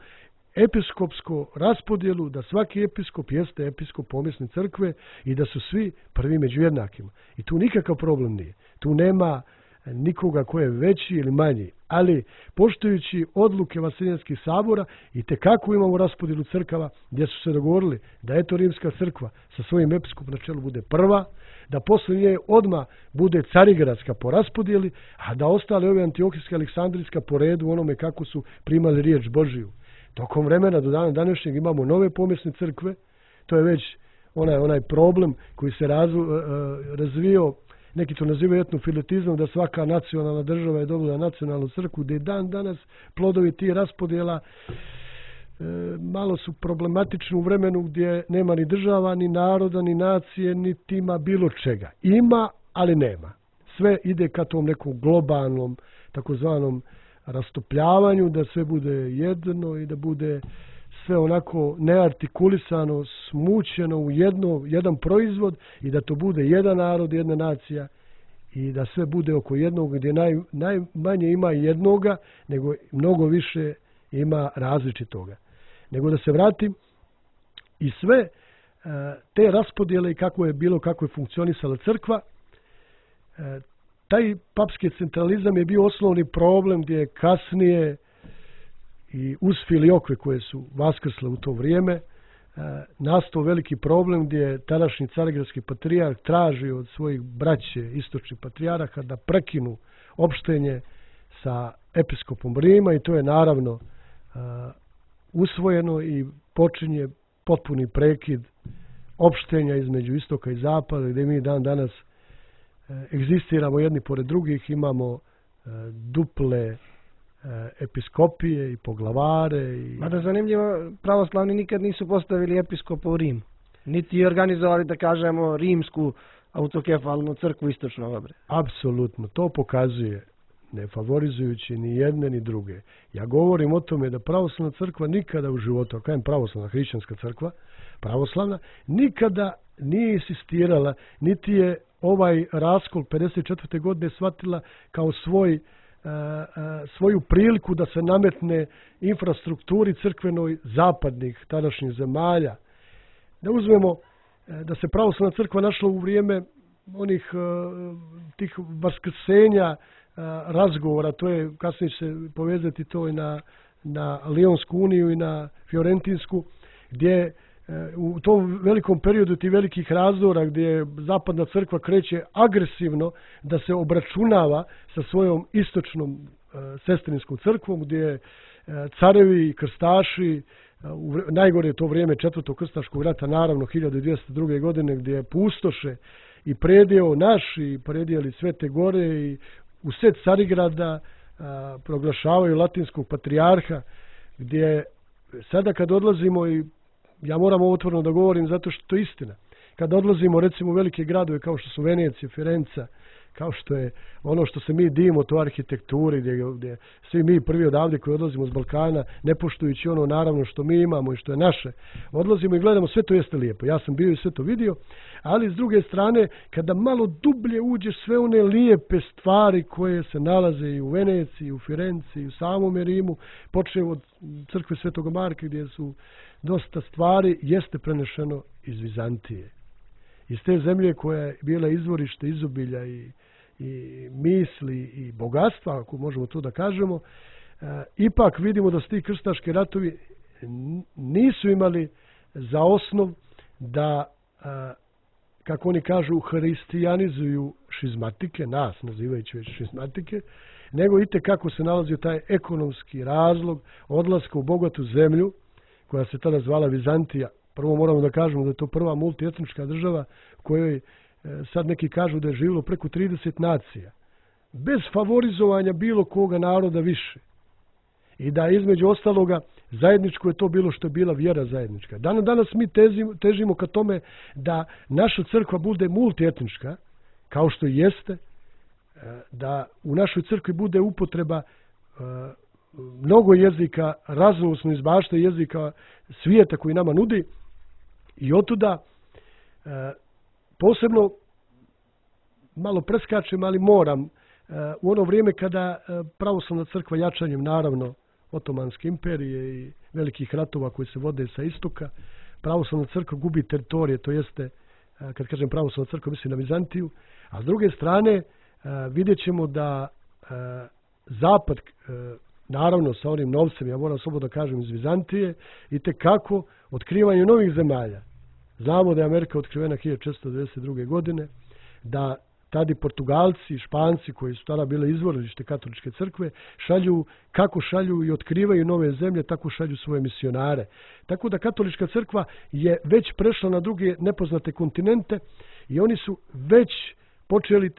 episkopsko raspodjelu, da svaki episkop jeste episkop pomjesne crkve i da su svi prvi među jednakima. I tu nikakav problem nije. Tu nema nikoga ko je veći ili manji, ali poštujući odluke Vasiljanskih sabora i tekako imamo raspodjelu crkava gdje su se dogovorili da eto Rimska crkva sa svojim episkopom na čelu bude prva, da posle nje odmah bude Carigradska po raspodjeli, a da ostale ove Antiohijska, Aleksandrijska po redu onome kako su primali riječ Božiju. Tokom vremena do dana današnjeg imamo nove pomjesne crkve, to je već onaj, onaj problem koji se razvo, razvio neki to nazivaju etnofiletizmom, da svaka nacionalna država je dobila nacionalnu crkvu, gdje dan danas plodovi ti raspodjela e, malo su problematični u vremenu gdje nema ni država, ni naroda, ni nacije, ni tima bilo čega. Ima, ali nema. Sve ide ka tom nekom globalnom, takozvanom rastopljavanju, da sve bude jedno i da bude sve onako neartikulisano, smućeno u jedno, jedan proizvod i da to bude jedan narod, jedna nacija i da sve bude oko jednog gdje naj, najmanje ima jednoga, nego mnogo više ima različitoga. Nego da se vratim i sve te raspodjele i kako je bilo, kako je funkcionisala crkva, taj papski centralizam je bio osnovni problem gdje je kasnije i uz filiokve koje su vaskrsle u to vrijeme nastao veliki problem gdje je tadašnji carigradski patrijarh tražio od svojih braće istočnih patrijarha da prekinu opštenje sa episkopom Rima i to je naravno usvojeno i počinje potpuni prekid opštenja između istoka i zapada gdje mi dan danas egzistiramo jedni pored drugih, imamo duple episkopije i poglavare. I... Mada zanimljivo, pravoslavni nikad nisu postavili episkopa u Rim. Niti organizovali, da kažemo, rimsku autokefalnu crkvu istočnog obreda. Apsolutno, to pokazuje, ne favorizujući ni jedne ni druge. Ja govorim o tome da pravoslavna crkva nikada u životu, a kajem pravoslavna hrišćanska crkva, pravoslavna, nikada nije insistirala, niti je ovaj raskol pedeset četvrte godine shvatila kao svoj, uh, uh, svoju priliku da se nametne infrastrukturi crkvenoj zapadnih tadašnjih zemalja. Da uzmemo uh, da se pravoslavna crkva našla u vrijeme onih uh, tih vaskrsenja uh, razgovora, to je kasnije se povezati to i na, na Lionsku uniju i na Fiorentinsku, gdje u tom velikom periodu ti velikih razdora gdje zapadna crkva kreće agresivno da se obračunava sa svojom istočnom e, sestrinskom crkvom gdje e, carevi i krstaši, e, u, najgore je to vrijeme četvrtog krstaškog rata, naravno hiljadu dvjesto druge. godine gdje pustoše i predjeo naš i predjeli Svete Gore i u sred Carigrada e, proglašavaju latinskog patrijarha gdje sada kad odlazimo i ja moram ovo otvoreno da govorim zato što to je istina. Kad odlazimo recimo u velike gradove kao što su Venecija, Firenca, kao što je ono što se mi divimo, to arhitekturi, gdje, gdje svi mi prvi odavde koji odlazimo s Balkana, ne poštujući ono naravno što mi imamo i što je naše, odlazimo i gledamo, sve to jeste lijepo. Ja sam bio i sve to vidio, ali s druge strane, kada malo dublje uđeš sve one lijepe stvari koje se nalaze i u Veneciji, i u Firenci, i u samom Rimu, počeo od crkve Svetog Marka gdje su dosta stvari, jeste prenešeno iz Vizantije. Iz te zemlje koja je bila izvorište izobilja i, i misli i bogatstva, ako možemo to da kažemo, e, ipak vidimo da su ti krstaški ratovi nisu imali za osnov da, e, kako oni kažu, hristijanizuju šizmatike, nas nazivajući već šizmatike, nego itekako se nalazio taj ekonomski razlog odlaska u bogatu zemlju, koja se tada zvala Vizantija. Prvo moramo da kažemo da je to prva multietnička država u kojoj e, sad neki kažu da je živjelo preko trideset nacija. Bez favorizovanja bilo koga naroda više. I da između ostaloga zajedničko je to bilo što je bila vjera zajednička. Dan, danas mi težimo, težimo ka tome da naša crkva bude multietnička, kao što jeste, e, da u našoj crkvi bude upotreba e, mnogo jezika, raznovrsno izbašta jezika svijeta koji nama nudi i otuda e, posebno malo preskačem, ali moram, e, u ono vrijeme kada e, pravoslavna crkva jačanjem naravno Otomanske imperije i velikih ratova koji se vode sa istoka, pravoslavna crkva gubi teritorije, to jeste, e, kad kažem pravoslavna crkva mislim na Vizantiju, a s druge strane e, vidjet ćemo da e, zapad e, naravno sa onim novcem, ja moram slobodno da kažem iz Vizantije, i tekako otkrivanje novih zemalja. Znamo da je Amerika otkrivena hiljadu četiristo devedeset druge. godine, da tada Portugalci i Španci koji su tada bile izvorište katoličke crkve šalju, kako šalju i otkrivaju nove zemlje, tako šalju svoje misionare. Tako da katolička crkva je već prešla na druge nepoznate kontinente i oni su već počeli e,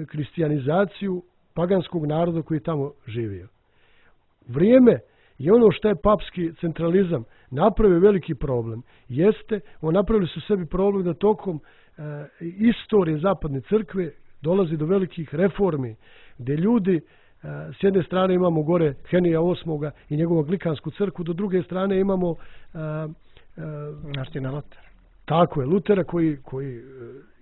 kristijanizaciju paganskog naroda koji je tamo živio. Vrijeme i ono što je papski centralizam napravio veliki problem jeste, on napravili su sebi problem da tokom e, istorije zapadne crkve dolazi do velikih reformi, gdje ljudi, e, s jedne strane imamo gore Henija osmog i njegovu anglikansku crkvu, do druge strane imamo e, e, Martina Lutera. Tako je, Lutera koji, koji e,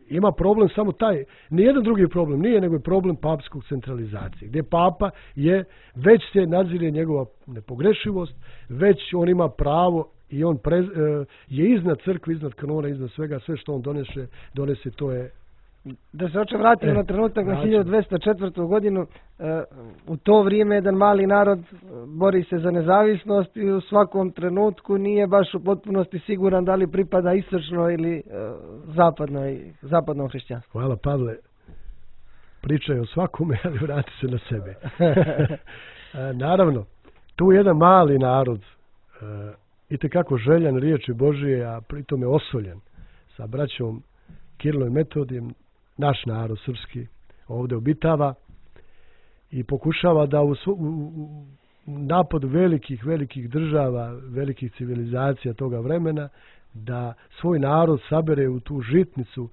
ima problem samo taj, nijedan drugi problem nije, nego je problem papskog centralizacije, gdje papa je, već se nadzire njegova nepogrešivost, već on ima pravo i on pre, e, je iznad crkve, iznad kanona, iznad svega, sve što on donese, donese to je. Da se oče vratimo E, na trenutak na vraćam. hiljadu dvesta četvrtu. godinu, e, u to vrijeme jedan mali narod e, bori se za nezavisnost i u svakom trenutku nije baš u potpunosti siguran da li pripada istočnoj ili e, zapadnoj, zapadnom hrišćanstvu. Hvala Pavle, pričaj o svakome, ali vrati se na sebe. E, naravno, tu jedan mali narod, e, itekako željan riječi Božije, a pritom je osoljen sa braćom Kirilom i Metodijem, naš narod srpski ovdje obitava i pokušava da u, u, u napad velikih, velikih država, velikih civilizacija toga vremena, da svoj narod sabere u tu žitnicu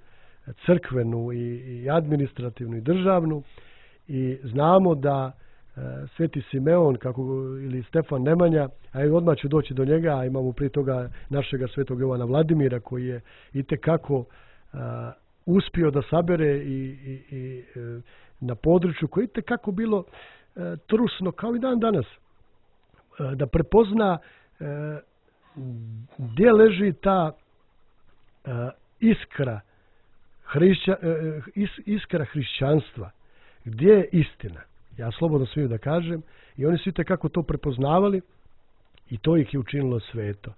crkvenu i, i administrativnu i državnu, i znamo da e, Sveti Simeon kako, ili Stefan Nemanja, a i odmah ću doći do njega, a imamo prije toga našega svetog Jovana Vladimira koji je itekako e, uspio da sabere i, i, i e, na području koje je itekako bilo e, trusno kao i dan danas, e, da prepozna e, gdje leži ta e, iskra hrišća, e, is, iskra hrišćanstva, gdje je istina. Ja slobodno smijem da kažem, i oni su itekako to prepoznavali i to ih je učinilo sveto.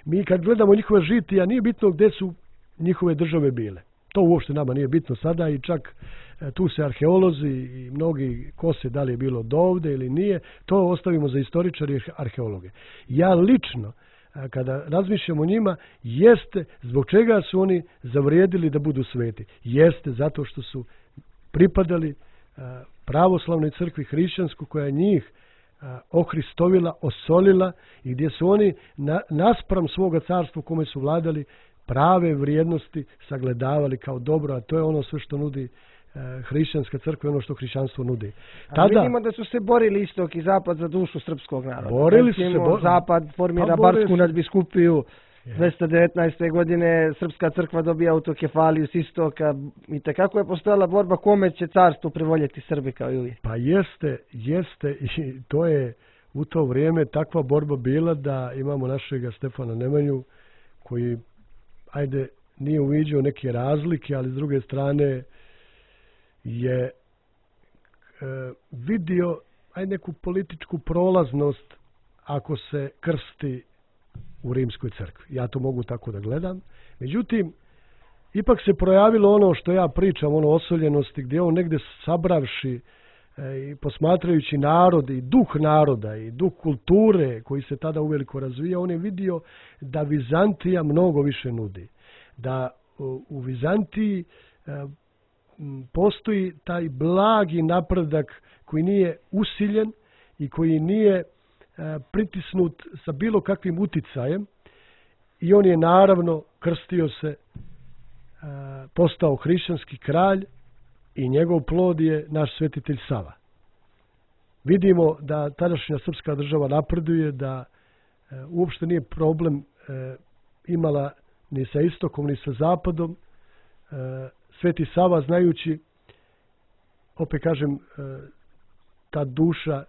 Mi kad gledamo njihove žitija, nije bitno gdje su njihove države bile. To uopšte nama nije bitno sada, i čak e, tu se arheolozi i mnogi kose da li je bilo do ovde ili nije, to ostavimo za istoričari i arheologe. Ja lično, e, kada razmišljam o njima, jeste zbog čega su oni zavrijedili da budu sveti. Jeste zato što su pripadali e, pravoslavnoj crkvi hrišćansku koja je njih e, ohristovila, osolila, i gdje su oni na, naspram svoga carstva u kome su vladali prave vrijednosti sagledavali kao dobro, a to je ono sve što nudi e, hrišćanska crkva, ono što hrišćanstvo nudi. Tada, a vidimo da su se borili istok i zapad za dušu srpskog naroda. Borili su se. Bo... Zapad formira pa Barsku nadbiskupiju, je. dvesta devetnaeste. godine srpska crkva dobija autokefaliju s istoka, i tekako je postojala borba kome će carstvo privoljeti Srbi kao i uvijek. Pa jeste, jeste, i to je u to vrijeme takva borba bila da imamo našega Stefana Nemanju koji, ajde, nije uviđao neke razlike, ali s druge strane je e, vidio ajde neku političku prolaznost ako se krsti u rimskoj crkvi. Ja to mogu tako da gledam. Međutim, ipak se projavilo ono što ja pričam, ono osoljenosti, gdje on negdje sabravši e, i posmatrajući narod i duh naroda i duh kulture koji se tada uveliko razvija, on je vidio da Vizantija mnogo više nudi. Da u, u Vizantiji e, postoji taj blagi napredak koji nije usiljen i koji nije e, pritisnut sa bilo kakvim uticajem, i on je naravno krstio se, e, postao hrišćanski kralj, i njegov plod je naš svetitelj Sava. Vidimo da tadašnja srpska država napreduje, da e, uopšte nije problem e, imala ni sa istokom, ni sa zapadom. E, Sveti Sava, znajući, opet kažem, e, ta duša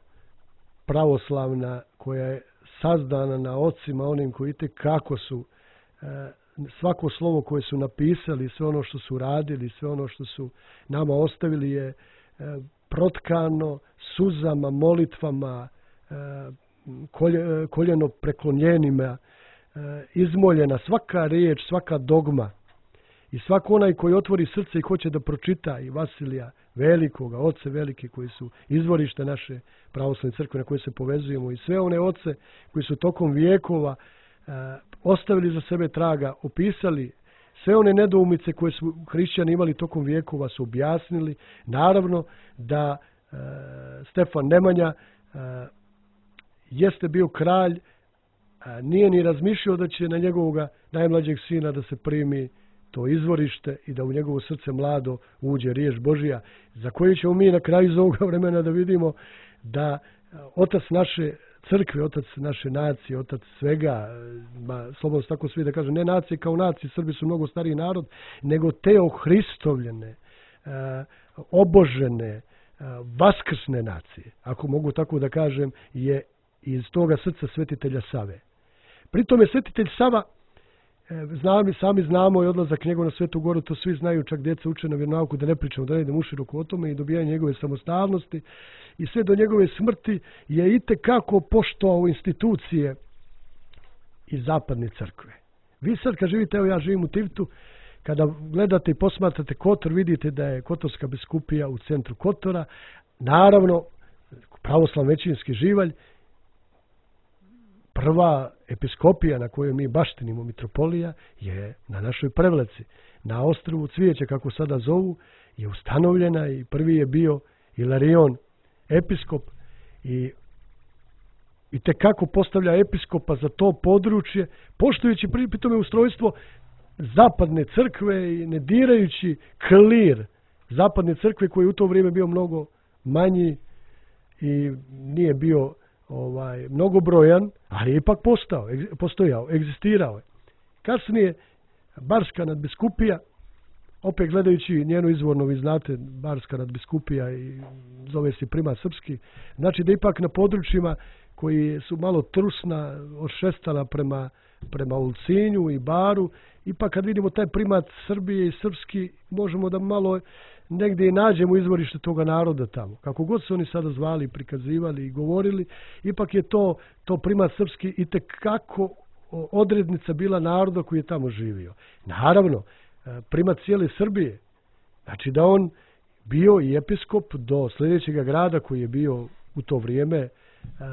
pravoslavna koja je sazdana na ocima onim koji te kako su e, svako slovo koje su napisali, sve ono što su radili, sve ono što su nama ostavili je e, protkano suzama, molitvama, e, kolje, koljeno preklonjenima, e, izmoljena svaka riječ, svaka dogma. I svako onaj koji otvori srce i hoće da pročita i Vasilija Velikoga, oce velike koji su izvorište naše pravoslavne crkve na koje se povezujemo, i sve one oce koji su tokom vijekova e, ostavili za sebe traga, opisali sve one nedoumice koje su hrišćani imali tokom vijekova su objasnili. Naravno da e, Stefan Nemanja e, jeste bio kralj, a nije ni razmišljao da će na njegovog najmlađeg sina da se primi to izvorište i da u njegovo srce mlado uđe riječ Božija, za koju ćemo mi na kraju iz ovoga vremena da vidimo da otac naše crkve, otac naše nacije, otac svega, ma, slobodno tako svi da kažem, ne nacije kao nacije, Srbi su mnogo stariji narod, nego te ohristovljene, e, obožene, e, vaskrsne nacije, ako mogu tako da kažem, je iz toga srca svetitelja Save. Pritom je svetitelj Sava, znam, sami znamo i odlazak njegov na Svetu Goru, to svi znaju, čak djeca uče na vjeronauku, da ne pričamo, da ne idemo uširoko o tome, i dobijanje njegove samostalnosti i sve do njegove smrti je itekako poštovao institucije iz zapadne crkve. Vi sad kad živite, evo ja živim u Tivtu, kada gledate i posmatrate Kotor, vidite da je Kotorska biskupija u centru Kotora, naravno pravoslav većinski živalj, prva episkopija na kojoj mi baštinimo, mitropolija, je na našoj Prevlaci. Na ostrvu Cvijeće, kako sada zovu, je ustanovljena i prvi je bio Ilarion, episkop, i, i tekako postavlja episkopa za to područje, poštujući pri tome ustrojstvo zapadne crkve i ne dirajući klir zapadne crkve koji je u to vrijeme bio mnogo manji i nije bio ovaj mnogobrojan, ali je ipak postao, postojao, egzistirao je. Kasnije Barska nadbiskupija, opet gledajući njenu izvornu, vi znate, Barska nadbiskupija i zove se primat srpski, znači da ipak na područjima koji su malo trusna, odšestala prema, prema Ulcinju i Baru, ipak kad vidimo taj primat Srbije i srpski, možemo da malo negdje i nađemo izvorište toga naroda tamo. Kako god se oni sada zvali, prikazivali i govorili, ipak je to, to primat srpski i tekako odrednica bila naroda koji je tamo živio. Naravno, primat cijele Srbije, znači da on bio i episkop do sljedećeg grada koji je bio u to vrijeme, a,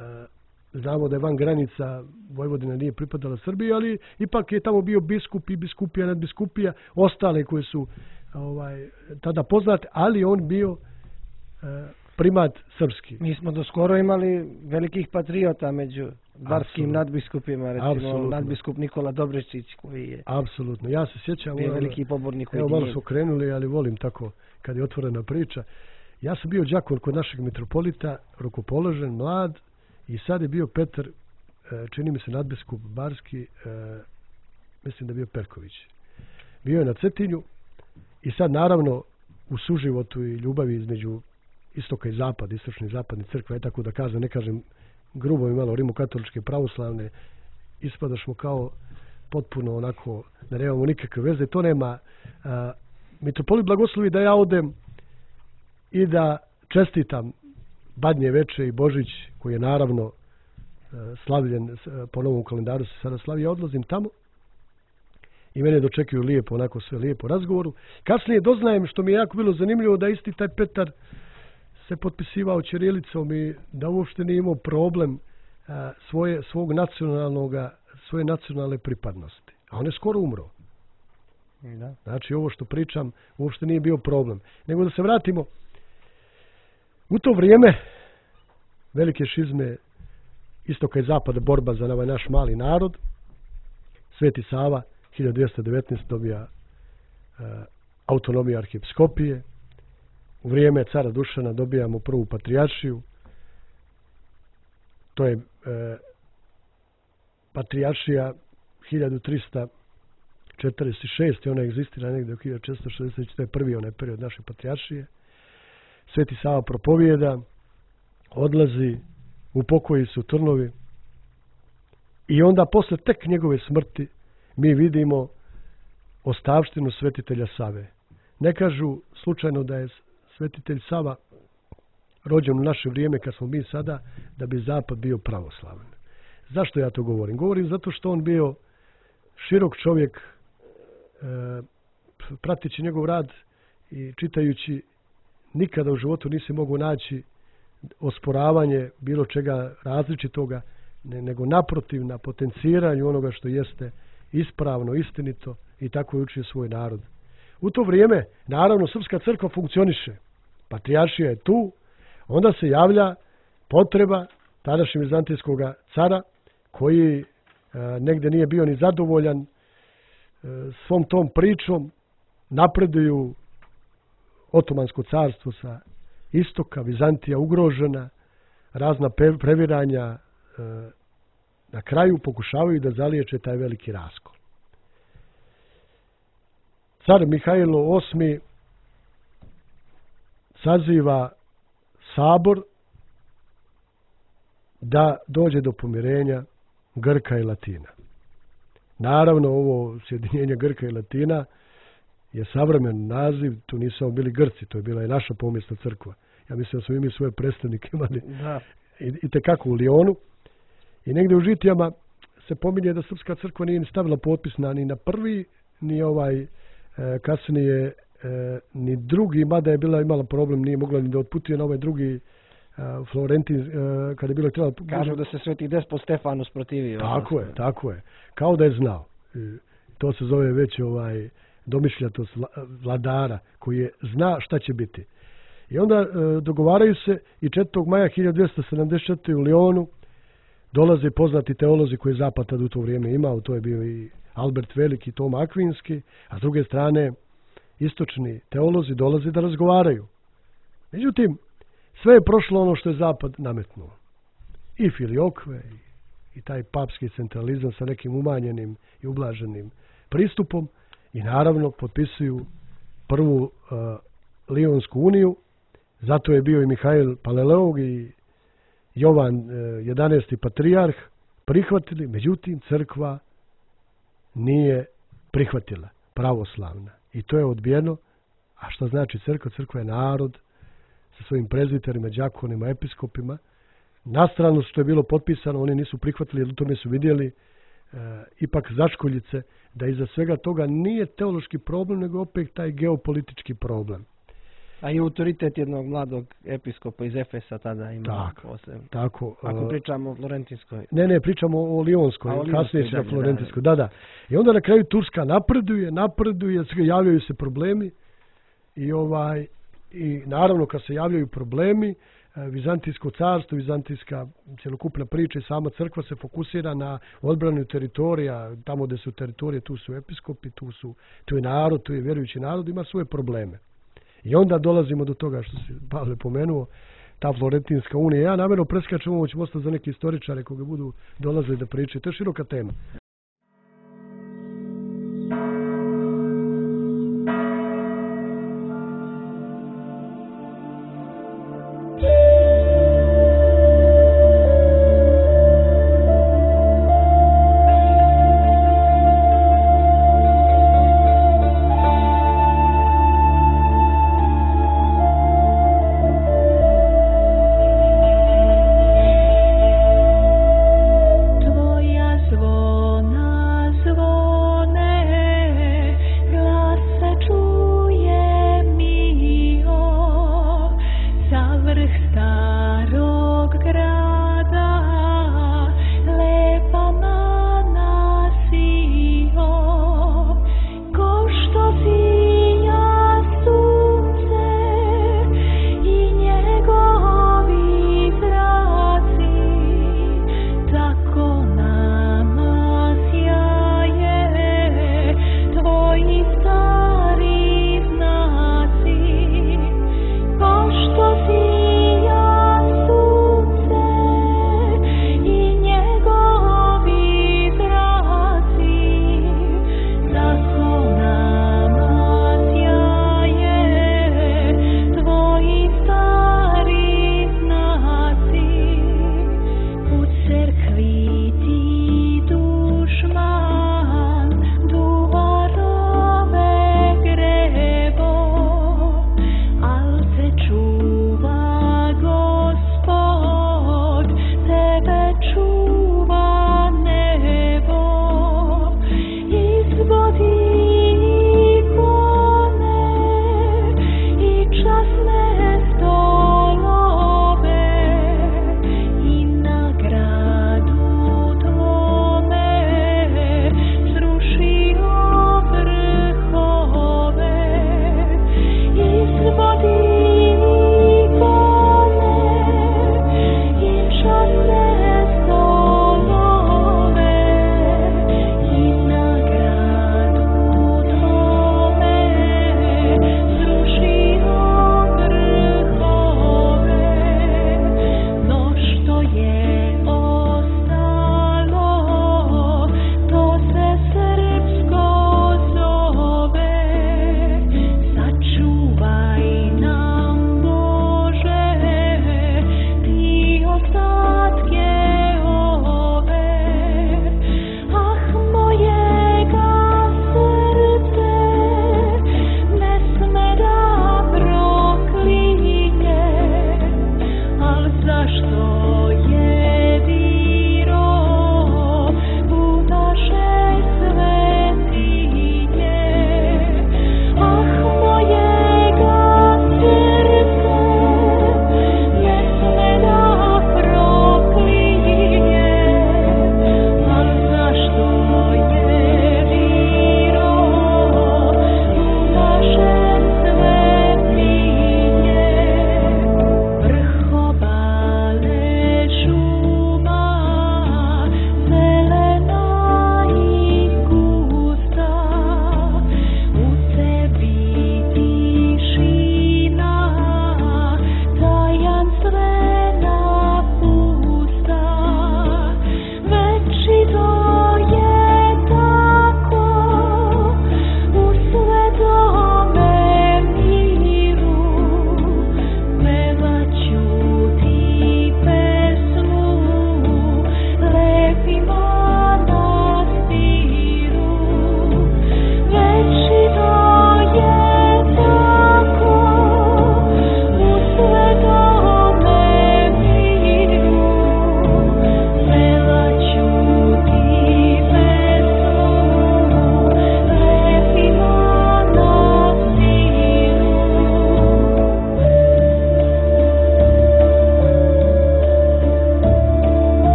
a, znamo da je van granica Vojvodina nije pripadala Srbiji, ali ipak je tamo bio biskup i biskupija, nadbiskupija, ostale koje su ovaj, tada poznate, ali on bio e, primat srpski. Mi smo do skoro imali velikih patriota među barskim nadbiskupima, recimo Absolutno. nadbiskup Nikola Dobrečić koji je Apsolutno, ja se sjećam bio veliki pobornik. Evo malo su krenuli, ali volim tako kad je otvorena priča. Ja sam bio đakon kod našeg mitropolita, rukopoložen, mlad, i sad je bio Petar, čini mi se nadbiskup barski, mislim da je bio Perković. Bio je na Cetinju i sad naravno u suživotu i ljubavi između istoka i zapada, istočne i zapadne crkve, je tako da kažem, ne kažem grubo i malo rimokatoličke pravoslavne, ispadašmo kao potpuno onako, da nemamo nikakve veze, to nema. A, mitropolit blagoslovi da ja odem i da čestitam Badnje veče i Božić, koji je naravno slavljen, po novom kalendaru se sada slavi, ja odlazim tamo i mene dočekuju lijepo, onako sve lijepo razgovoru. Kasnije doznajem, što mi je jako bilo zanimljivo, da isti taj Petar se potpisivao ćirilicom i da uopšte nije imao problem a, svoje, svog nacionalnog, svoje nacionalne pripadnosti. A on je skoro umro. Da. Znači ovo što pričam uopšte nije bio problem. Nego da se vratimo, u to vrijeme velike šizme istoka i zapada, borba za ovaj naš mali narod, Sveti Sava hiljadu dvjesto devetnaeste dobija uh, autonomiju arhijepiskopije. U vrijeme cara Dušana dobijamo prvu patrijaršiju. To je uh, patrijaršija hiljadu trista četrdeset šeste. Ona egzistira negdje u hiljadu četiristo šezdeset. To je prvi onaj period naše patrijaršije. Sveti Sava propovijeda, odlazi, u pokoji su trnovi i onda posle tek njegove smrti mi vidimo ostavštinu svetitelja Save. Ne kažu slučajno da je svetitelj Sava rođen u naše vrijeme kad smo mi sada, da bi zapad bio pravoslavan. Zašto ja to govorim? Govorim zato što on bio širok čovjek, e, pratići njegov rad i čitajući, nikada u životu nisi mogu naći osporavanje bilo čega različitoga, ne, nego naprotiv na potenciranju onoga što jeste ispravno, istinito i tako je učio svoj narod. U to vrijeme, naravno, srpska crkva funkcioniše. Patrijaršija je tu, onda se javlja potreba tadašnjeg vizantijskog cara koji e, negdje nije bio ni zadovoljan e, svom tom pričom. Napreduju Otomansko carstvo sa istoka, Vizantija ugrožena, razna previranja, e, na kraju pokušavaju da zaliječe taj veliki raskol. Car Mihajlo osmi saziva sabor da dođe do pomirenja Grka i Latina. Naravno, ovo sjedinjenje Grka i Latina je savremen naziv, tu nisu samo bili Grci, to je bila i naša pomjesna crkva. Ja mislim da smo i mi svoje predstavnike imali da. i, i tekako u Lijonu. I negdje u Žitijama se pominje da srpska crkva nije ni stavila potpis na, ni na prvi, ni ovaj e, kasnije e, ni drugi, mada je bila imala problem, nije mogla ni da otputuje na ovaj drugi e, Florentin, e, kada je bilo trebalo... Kažu da se Sveti Despot Stefano sprotivio. Tako je, tako je. Kao da je znao. E, to se zove već ovaj domišljatost vladara koji je zna šta će biti. I onda e, dogovaraju se i četvrtog maja hiljadu dvjesto sedamdeset četvrte. u Lijonu dolaze poznati teolozi koji je Zapad tad u to vrijeme imao, to je bio i Albert Veliki, Toma Akvinski, a s druge strane istočni teolozi dolaze da razgovaraju. Međutim, sve je prošlo ono što je Zapad nametnuo. I Filiokve, i, i taj papski centralizam sa nekim umanjenim i ublaženim pristupom i naravno potpisuju prvu uh, Lijonsku uniju, zato je bio i Mihajl Paleleog i Jovan jedanaesti patrijarh prihvatili, međutim crkva nije prihvatila, pravoslavna. I to je odbijeno. A što znači crkva? Crkva je narod sa svojim prezbiterima, đakonima, episkopima. Na stranu što je bilo potpisano, oni nisu prihvatili, jer u tome su vidjeli e, ipak začkoljice da iza svega toga nije teološki problem, nego opet taj geopolitički problem. A i autoritet jednog mladog episkopa iz Efesa tada ima posebno. Tako. Ako pričamo o Florentinskoj. Ne, ne, pričamo o Lionskoj, kasnije se na Florentinskoj. Da, da. I onda na kraju Turska napreduje, napreduje, javljaju se problemi i ovaj i naravno kad se javljaju problemi, Vizantijsko carstvo, vizantijska cjelokupna priča i sama crkva se fokusira na odbranu teritorija, tamo gdje su teritorije, tu su episkopi, tu su tu je narod, tu je vjerujući narod, ima svoje probleme. I onda dolazimo do toga što si Pavle pomenuo, ta Florentinska unija. Ja namjerno preskačem, ovo ćemo ostati za neke istoričare koji budu dolazili da pričaju. To je široka tema. Tvoja zvona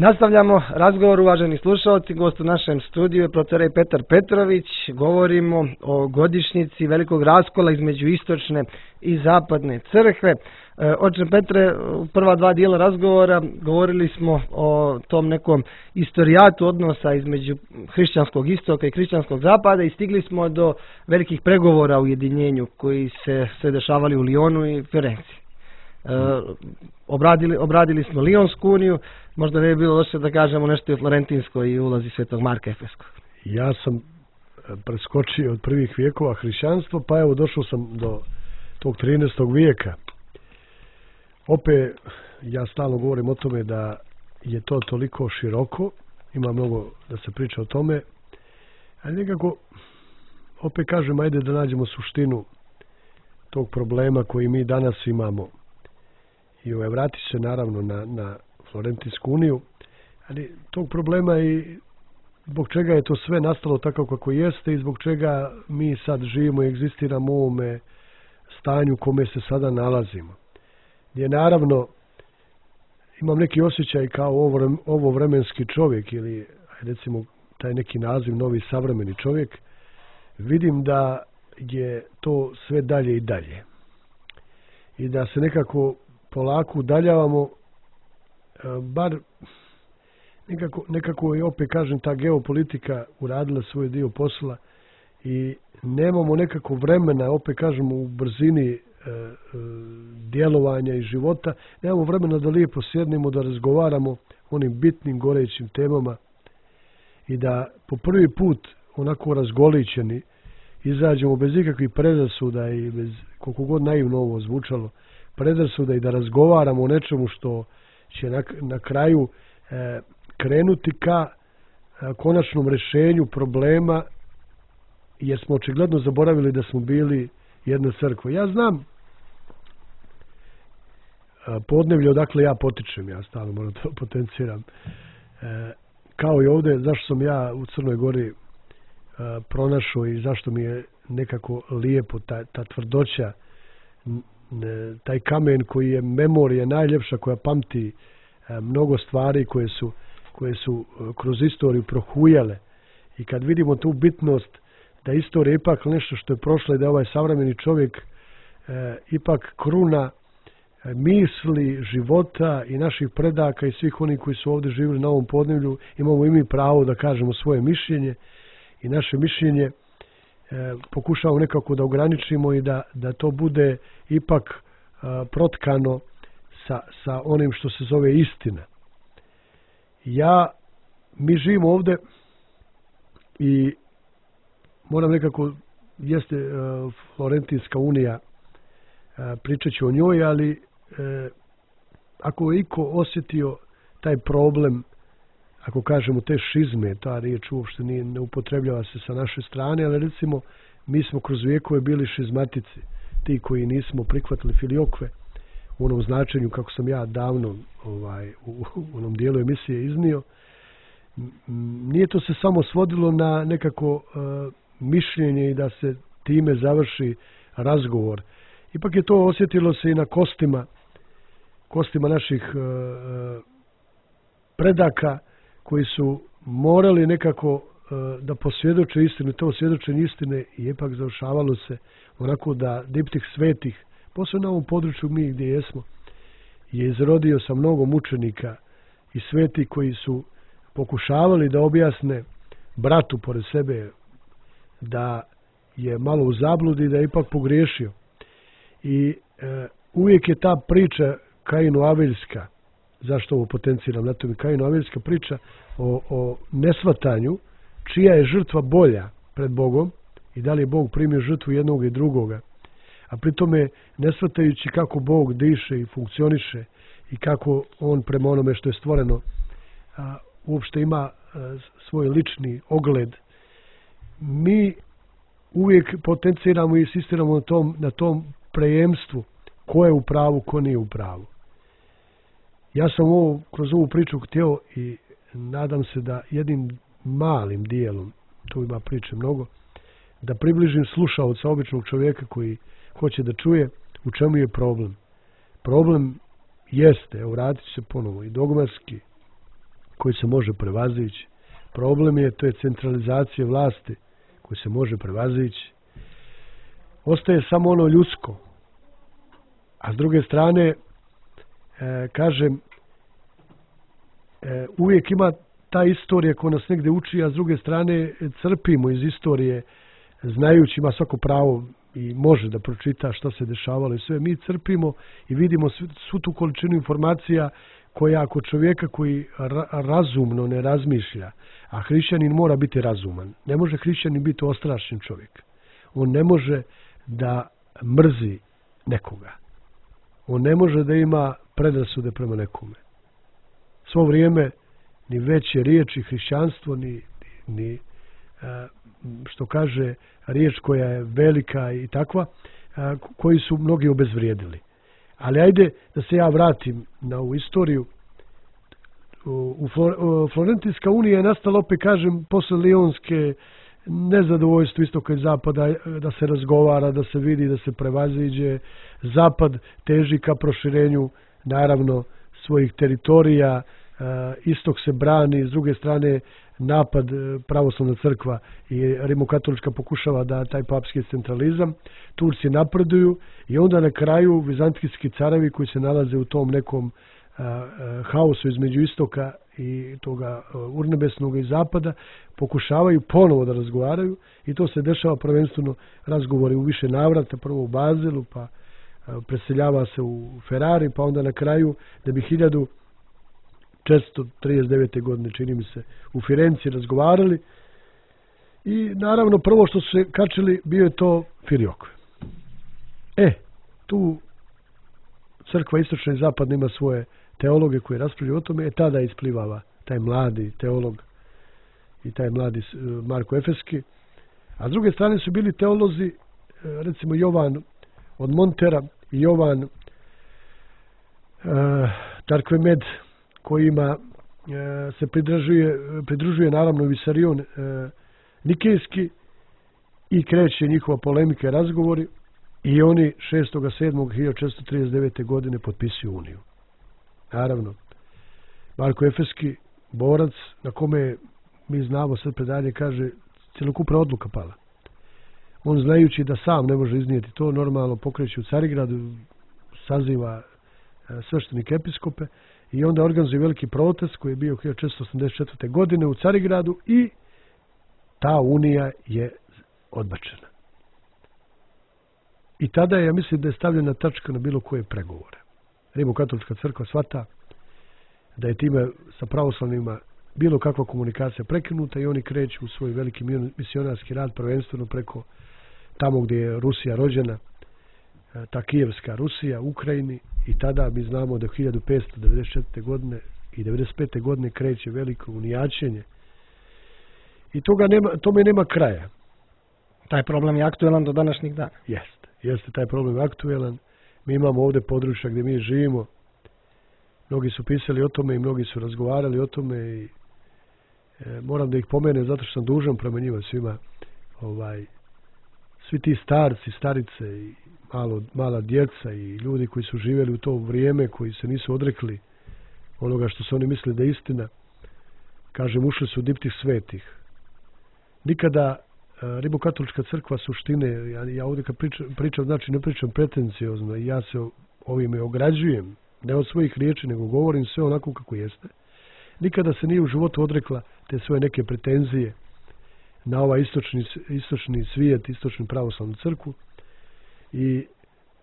Nastavljamo razgovor, uvaženi slušalci. Gost u našem studiju je protorej Petar Petrović. Govorimo o godišnjici velikog raskola između istočne i zapadne crkve. Oče Petre, u prva dva dijela razgovora govorili smo o tom nekom istorijatu odnosa između hrišćanskog istoka i hrišćanskog zapada i stigli smo do velikih pregovora o ujedinjenju koji se sve dešavali u Lionu i Firenci. E, obradili, obradili smo Lionsku uniju, možda ne bi bilo loše da kažemo nešto i o Florentinskoj i ulazi Svetog Marka Efeskog. Ja sam preskočio od prvih vijekova hrišćanstvo, pa evo došao sam do tog trinaestog vijeka. Opet, ja stalno govorim o tome da je to toliko široko, ima mnogo da se priča o tome, ali nekako, opet kažem, ajde da nađemo suštinu tog problema koji mi danas imamo. I ovaj, vrati se naravno na, na Florentinsku uniju, ali tog problema i zbog čega je to sve nastalo tako kako jeste i zbog čega mi sad živimo i egzistiramo u ovome stanju u kome se sada nalazimo. Gdje naravno imam neki osjećaj kao ovo, ovo vremenski čovjek ili recimo taj neki naziv novi savremeni čovjek, vidim da je to sve dalje i dalje. I da se nekako polako udaljavamo, bar nekako, nekako i opet kažem ta geopolitika uradila svoj dio posla i nemamo nekako vremena, opet kažemo u brzini e, e, djelovanja i života, nemamo vremena da lijepo sjednemo, da razgovaramo o onim bitnim gorećim temama i da po prvi put onako razgoličeni izađemo bez ikakvih predrasuda i bez, koliko god naivno ovo zvučalo, predrasuda i da razgovaramo o nečemu što će na, na kraju e, krenuti ka e, konačnom rješenju problema, jer smo očigledno zaboravili da smo bili jedna crkva. Ja znam e, podneblje odakle ja potičem, ja stalno moram to potenciram. E, kao i ovdje, zašto sam ja u Crnoj Gori e, pronašao i zašto mi je nekako lijepo ta, ta tvrdoća, taj kamen koji je memorija najljepša, koja pamti mnogo stvari koje su, koje su kroz istoriju prohujale. I kad vidimo tu bitnost da istorija ipak nešto što je prošlo i da je ovaj savremeni čovjek e, ipak kruna misli, života i naših predaka i svih onih koji su ovdje živjeli na ovom podneblju, imamo i mi pravo da kažemo svoje mišljenje i naše mišljenje E, pokušavamo nekako da ograničimo i da, da to bude ipak e, protkano sa, sa onim što se zove istina. Ja, mi živimo ovdje i moram nekako, jeste e, Florentinska unija, e, pričat ću o njoj, ali e, ako je iko osjetio taj problem, ako kažemo te šizme, ta riječ uopšte nije, ne upotrebljava se sa naše strane, ali recimo mi smo kroz vijekove bili šizmatici, ti koji nismo prihvatili filiokve u onom značenju kako sam ja davno ovaj, u, u onom dijelu emisije iznio. Nije to se samo svodilo na nekako uh, mišljenje i da se time završi razgovor. Ipak je to osjetilo se i na kostima, kostima naših uh, predaka, koji su morali nekako uh, da posvjedoče istinu, to svjedočenje istine i ipak završavalo se onako da diptih svetih, posebno na ovom području mi gdje jesmo, je izrodio sa mnogo mučenika i sveti koji su pokušavali da objasne bratu pored sebe da je malo u zabludi, da je ipak pogriješio. I uh, uvijek je ta priča Kainu-Abeljska, zašto ovo potenciram na tome, Kainu-Abeljska priča o, o nesvatanju čija je žrtva bolja pred Bogom i da li je Bog primio žrtvu jednog i drugoga, a pritome nesvatajući kako Bog diše i funkcioniše i kako on prema onome što je stvoreno a, uopšte ima a, svoj lični ogled. Mi uvijek potenciramo i insistiramo na tom, na tom prejemstvu ko je u pravu, ko nije u pravu. Ja sam ovo, kroz ovu priču htio i nadam se da jednim malim dijelom, tu ima priče mnogo, da približim slušaoca, običnog čovjeka koji hoće da čuje u čemu je problem. Problem jeste, evo vratit se ponovo, i dogmatski, koji se može prevazići. Problem je, to je centralizacija vlasti koji se može prevazići. Ostaje samo ono ljudsko. A s druge strane, e, kažem, e, uvijek ima ta istorija koja nas negdje uči, a s druge strane crpimo iz istorije, znajući, ima svako pravo i može da pročita šta se dešavalo i sve. Mi crpimo i vidimo svu, svu tu količinu informacija koja ako čovjeka koji ra, razumno ne razmišlja, a hrišćanin mora biti razuman. Ne može hrišćanin biti ostrašćen čovjek. On ne može da mrzi nekoga. On ne može da ima predrasude prema nekome. Svo vrijeme ni veće riječi hrišćanstvo, ni, ni što kaže riječ koja je velika i takva, koji su mnogi obezvrijedili. Ali ajde da se ja vratim na ovu istoriju. U Florentijska unija je nastala, opet kažem, posle Lionske, nezadovoljstvo istoka i zapada, da se razgovara, da se vidi, da se prevaziđe. Zapad teži ka proširenju, naravno, svojih teritorija, istok se brani, s druge strane napad pravoslavna crkva i rimokatolička pokušava da taj papski centralizam, Turci napreduju i onda na kraju vizantijski carevi koji se nalaze u tom nekom a, a, haosu između istoka i toga urnebesnog i zapada pokušavaju ponovo da razgovaraju i to se dešava prvenstveno razgovori u više navrata, prvo u Bazelu, pa a, preseljava se u Ferrari, pa onda na kraju da bi hiljadu četiristo trideset devete. godine, čini mi se, u Firenci razgovarali i naravno prvo što su se kačili bio je to Filiokve. E, tu crkva istočna i zapadna ima svoje teologe koji raspravljaju o tome, e tada isplivava taj mladi teolog i taj mladi Marko Efeski. A s druge strane su bili teolozi, recimo Jovan od Montera i Jovan uh, Tarkvemed, kojima e, se pridružuje, pridružuje naravno Visarion e, Nikejski i kreće njihova polemika i razgovori i oni šestog sedmog hiljadu četiristo trideset devete. godine potpisuju uniju. Naravno, Marko Efeski, borac na kome mi znamo, sad predanje kaže, cjelokupna odluka pala. On znajući da sam ne može iznijeti to, normalno pokreće u Carigradu, saziva e, sveštenike episkope, i onda organizuje veliki protest koji je bio hiljadu četiristo osamdeset četvrte. godine u Carigradu i ta unija je odbačena. I tada je, ja mislim da je stavljena tačka na bilo koje pregovore. Rimokatolička crkva shvata da je time sa pravoslavnima bilo kakva komunikacija prekinuta i oni kreću u svoj veliki misionarski rad prvenstveno preko tamo gdje je Rusija rođena, ta Kijevska Rusija, Ukrajini, i tada mi znamo da hiljadu petsto devedeset četvrte. godine i devedeset pete. godine kreće veliko unijačenje i toga nema, tome nema kraja. Taj problem je aktuelan do današnjih dana. Jeste, jeste taj problem aktuelan. Mi imamo ovdje područja gdje mi živimo. Mnogi su pisali o tome i mnogi su razgovarali o tome i e, moram da ih pomenem zato što sam dužan prema njima svima. Ovaj, svi ti starci, starice i malo, mala djeca i ljudi koji su živjeli u to vrijeme, koji se nisu odrekli onoga što su oni mislili da je istina, kažem, ušli su u diptih svetih. Nikada e, rimokatolička crkva suštine, ja, ja ovdje kad pričam, pričam, znači ne pričam pretenciozno i ja se ovime ograđujem, ne od svojih riječi, nego govorim sve onako kako jeste. Nikada se nije u životu odrekla te svoje neke pretenzije na ovaj istočni, istočni svijet, istočnu pravoslavnu crkvu. I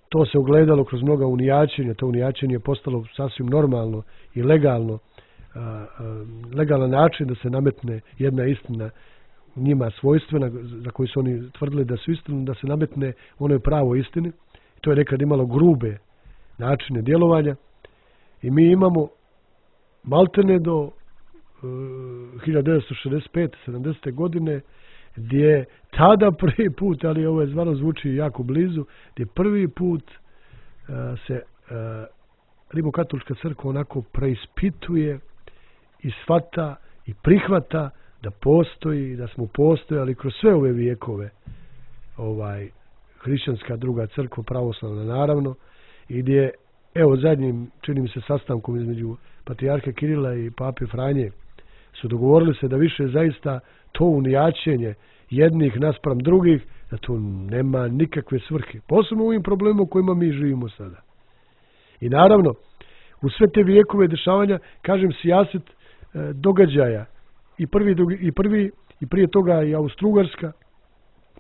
to se ogledalo kroz mnoga unijačenja. To unijačenje je postalo sasvim normalno i legalno, a, a, legalan način da se nametne jedna istina njima svojstvena, za koju su oni tvrdili da su istinu, da se nametne onoj pravo istini. To je nekad imalo grube načine djelovanja i mi imamo maltene do uh, hiljadu devetsto šezdeset pete. sedamdesete. godine gdje tada prvi put, ali ovo je zvano zvuči jako blizu, gdje prvi put uh, se uh, rimokatolička crkva onako preispituje i shvata i prihvata da postoji, da smo postojali kroz sve ove vijekove ovaj hrišćanska druga crkva, pravoslavna naravno, i gdje, evo zadnjim, čini mi se, sastankom između patrijarha Kirila i pape Franje su dogovorili se da više zaista to unijaćenje jednih naspram drugih, da to nema nikakve svrhe. Posebno u ovim problemima u kojima mi živimo sada. I naravno, u sve te vijekove dešavanja, kažem, sijaset e, događaja i prvi, i prvi i prije toga i Austro-Ugarska,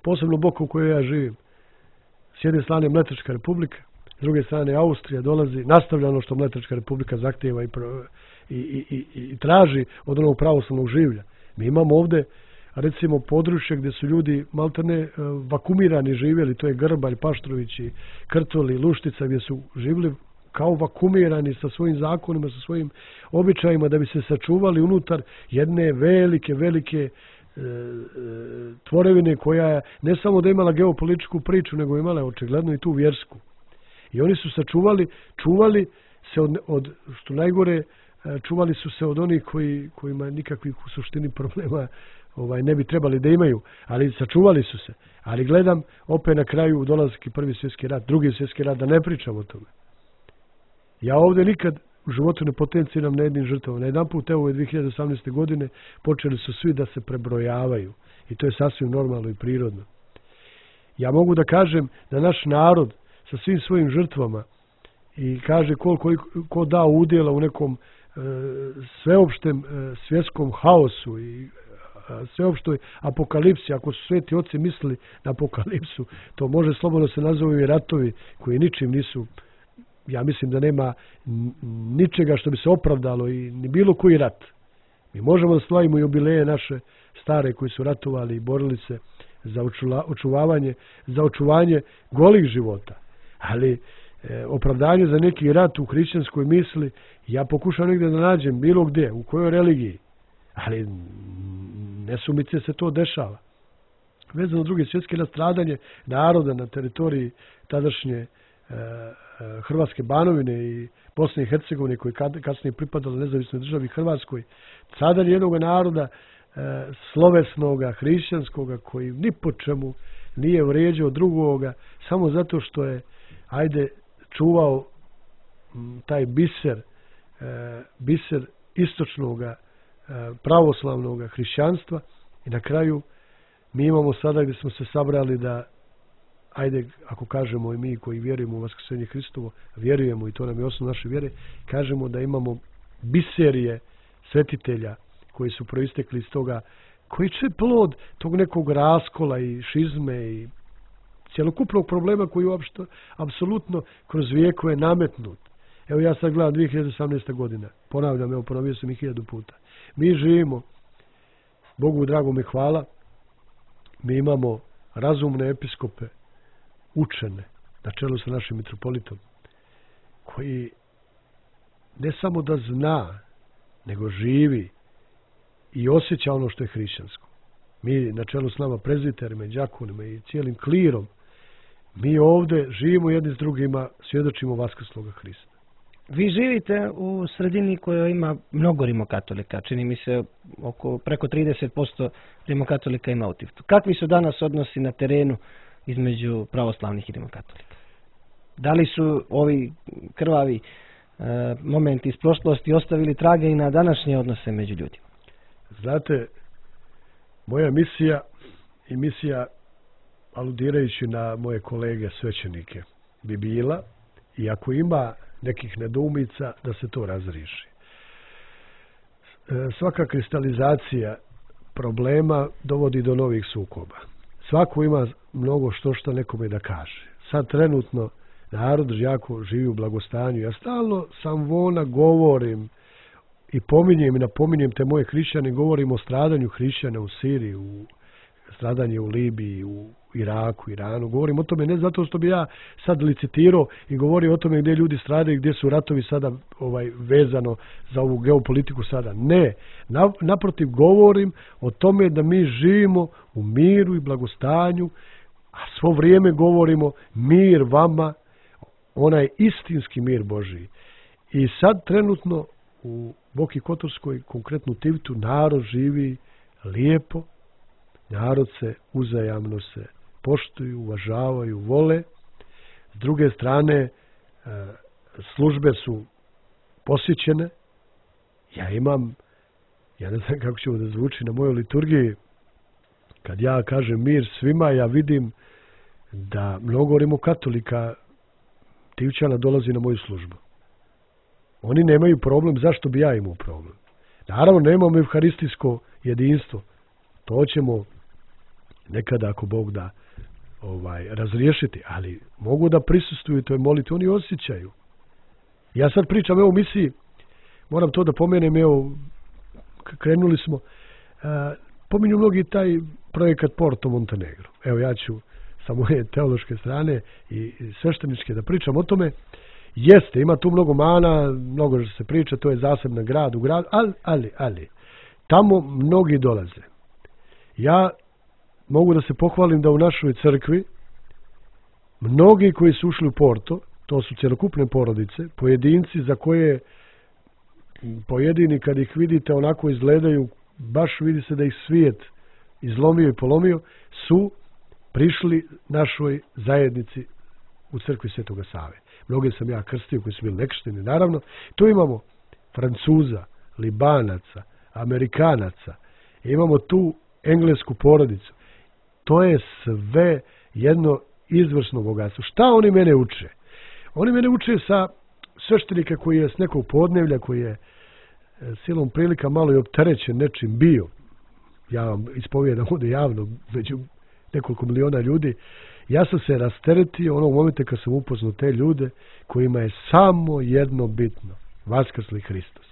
posebno Boka u kojoj ja živim. S jedne strane Mletačka republika, s druge strane Austrija dolazi, nastavlja ono što Mletačka republika zahtijeva i, i, i, i, i traži od onog pravoslavnog življa. Mi imamo ovdje, recimo, područje gdje su ljudi maltene vakumirani živjeli, to je Grbalj, Paštrović i Krtoli, Luštica, gdje su živjeli kao vakumirani sa svojim zakonima, sa svojim običajima, da bi se sačuvali unutar jedne velike, velike tvorevine koja je ne samo da imala geopolitičku priču, nego imala očigledno i tu vjersku. I oni su sačuvali, čuvali se od, od što najgore, čuvali su se od onih koji, kojima nikakvih u suštini problema ovaj, ne bi trebali da imaju, ali sačuvali su se. Ali gledam, opet na kraju dolazki prvi svjetski rat, drugi svjetski rat, da ne pričam o tome. Ja ovdje nikad u životu ne potenciram na jednim žrtvama. Na jedan put, evo, dvije hiljade osamnaeste. godine počeli su svi da se prebrojavaju. I to je sasvim normalno i prirodno. Ja mogu da kažem da naš narod sa svim svojim žrtvama i kaže koliko ko da udjela u nekom e, sveopštem e, svjetskom haosu i e, sveopštoj apokalipsi. Ako su sveti oci mislili na apokalipsu, to može slobodno se nazvaju i ratovi koji ničim nisu. Ja mislim da nema ničega što bi se opravdalo i ni bilo koji rat. Mi možemo da slavimo jubileje naše stare koji su ratovali i borili se za očuvavanje, za očuvanje golih života. Ali e, opravdanje za neki rat u hrišćanskoj misli, ja pokušam negdje da nađem bilo gdje, u kojoj religiji. Ali nesumice se to dešava. Vezano drugi svjetski nastradanje naroda na teritoriji tadašnje Hrvatske Banovine i Bosne i Hercegovine koji kasnije pripadalo nezavisnoj državi Hrvatskoj, stradanje jednog naroda e, slovesnoga, hrišćanskoga koji ni po čemu nije vrijeđao drugoga samo zato što je, ajde, čuvao m, taj biser, e, biser istočnoga e, pravoslavnoga hrišćanstva i na kraju mi imamo sada gdje smo se sabrali da, ajde, ako kažemo i mi koji vjerujemo u vaskrsenje Hristovo, vjerujemo i to nam je osnov naše vjere, kažemo da imamo biserije svetitelja koji su proistekli iz toga, koji će plod tog nekog raskola i šizme i cjelokupnog problema koji je uopšte apsolutno kroz vijekove nametnut. Evo ja sad gledam dvije hiljade osamnaeste. godina, ponavljam, evo ponovio sam i hiljadu puta. Mi živimo, Bogu dragom i hvala, mi imamo razumne episkope, učene, na čelu sa našim mitropolitom, koji ne samo da zna, nego živi i osjeća ono što je hrišćansko. Mi na čelu s nama prezbiterima i đakonima i cijelim klirom, mi ovdje živimo jedni s drugima, svjedočimo vaskrsloga Hrista. Vi živite u sredini koja ima mnogo rimokatolika, čini mi se oko preko trideset posto rimokatolika ima u Tivtu. Kakvi su danas odnosi na terenu između pravoslavnih i rimokatolika? Da li su ovi krvavi e, momenti iz prošlosti ostavili trage i na današnje odnose među ljudima? Znate, moja misija i misija, aludirajući na moje kolege svećenike, bi bila, i ako ima nekih nedoumica, da se to razriješi. E, svaka kristalizacija problema dovodi do novih sukoba. Svako ima mnogo što što nekome da kaže. Sad trenutno narod jako živi u blagostanju. Ja stalno sam vona govorim i pominjem i napominjem te moje hrišćane, govorim o stradanju hrišćana u Siriji, u stradanje u Libiji, u Iraku, Iranu. Govorim o tome ne zato što bi ja sad licitirao i govorio o tome gdje ljudi stradaju, gdje su ratovi sada ovaj, vezano za ovu geopolitiku sada. Ne. Naprotiv, govorim o tome da mi živimo u miru i blagostanju, a svo vrijeme govorimo mir vama, onaj istinski mir Božiji. I sad trenutno u Boki Kotorskoj, konkretno Tivtu, narod živi lijepo, narod se uzajamno se poštuju, uvažavaju, vole. S druge strane, službe su posjećene. Ja imam Ja ne znam kako će ovo da zvuči na mojoj liturgiji. Kad ja kažem mir svima, ja vidim da mnogo rimokatolika Tivčana dolazi na moju službu. Oni nemaju problem, zašto bi ja imao problem? Naravno, nemamo evharistijsko jedinstvo. To ćemo nekada, ako Bog da, ovaj, razriješiti, ali mogu da prisustvuju toj molitvi, oni osjećaju. Ja sad pričam, evo, u misiji, moram to da pomenem, evo, krenuli smo, uh, pominju mnogi taj projekat Porto Montenegro. Evo, ja ću sa moje teološke strane i svešteničke da pričam o tome. Jeste, ima tu mnogo mana, mnogo što se priča, to je zasebna grad u gradu, ali, ali, ali, tamo mnogi dolaze. Ja mogu da se pohvalim da u našoj crkvi mnogi koji su ušli u Porto, to su cjelokupne porodice, pojedinci za koje pojedini kad ih vidite onako izgledaju, baš vidi se da ih svijet izlomio i polomio, su prišli našoj zajednici u crkvi Svetoga Save. Mnoge sam ja krstio koji su bili nekršteni, naravno. Tu imamo Francuza, Libanaca, Amerikanaca, imamo tu englesku porodicu. To je sve jedno izvrsno bogatstvo. Šta oni mene uče? Oni mene uče sa sveštenika koji je s nekog podnevlja, koji je silom prilika malo i opterećen nečim bio. Ja vam ispovijedam ovdje javno među nekoliko miliona ljudi. Ja sam se rasteretio onog momenta kad sam upoznao te ljude kojima je samo jedno bitno. Vaskrsli Hristos.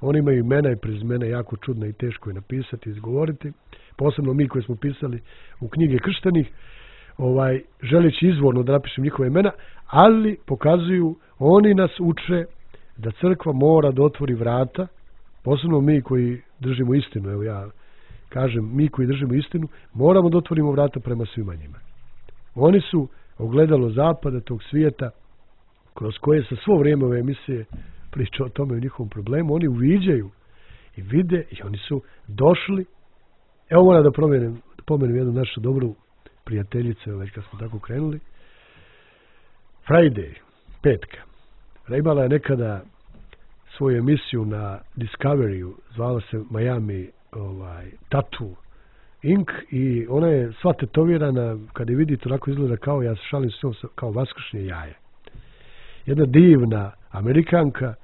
Oni imaju imena i prezimena jako čudno i teško je napisati i izgovoriti. Posebno mi koji smo pisali u knjige krštenih, ovaj, želeći izvorno da napišem njihove imena, ali pokazuju, oni nas uče da crkva mora da otvori vrata, posebno mi koji držimo istinu, evo ja kažem, mi koji držimo istinu, moramo da otvorimo vrata prema svima njima. Oni su ogledalo zapada, tog svijeta, kroz koje sa svo vrijeme ove emisije priča o tome, o njihovom problemu, oni uviđaju i vide i oni su došli. Evo moram da pomenem, da pomenem jednu našu dobru prijateljicu, već kad smo tako krenuli. Friday, petka. Imala je nekada svoju emisiju na Discoveryu, zvala se Miami ovaj, Tattoo Incorporated i ona je sva tetovirana, kada je vidite, onako izgleda kao, ja se šalim s njom, kao vaskršnje jaje. Jedna divna Amerikanka,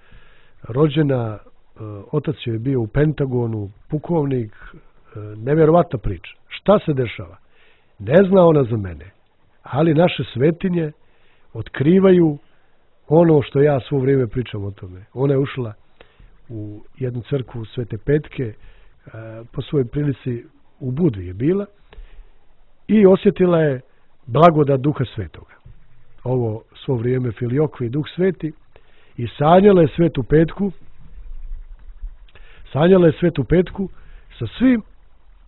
rođena, otac joj je bio u Pentagonu, pukovnik, nevjerovatna priča. Šta se dešava? Ne zna ona za mene, ali naše svetinje otkrivaju ono što ja svo vrijeme pričam o tome. Ona je ušla u jednu crkvu Svete Petke, po svojoj prilici u Budvi je bila i osjetila je blagodat Duha Svetoga. Ovo svo vrijeme Filiokvi, Duh Sveti, i sanjala je Svetu Petku, sanjala je Svetu Petku sa svim,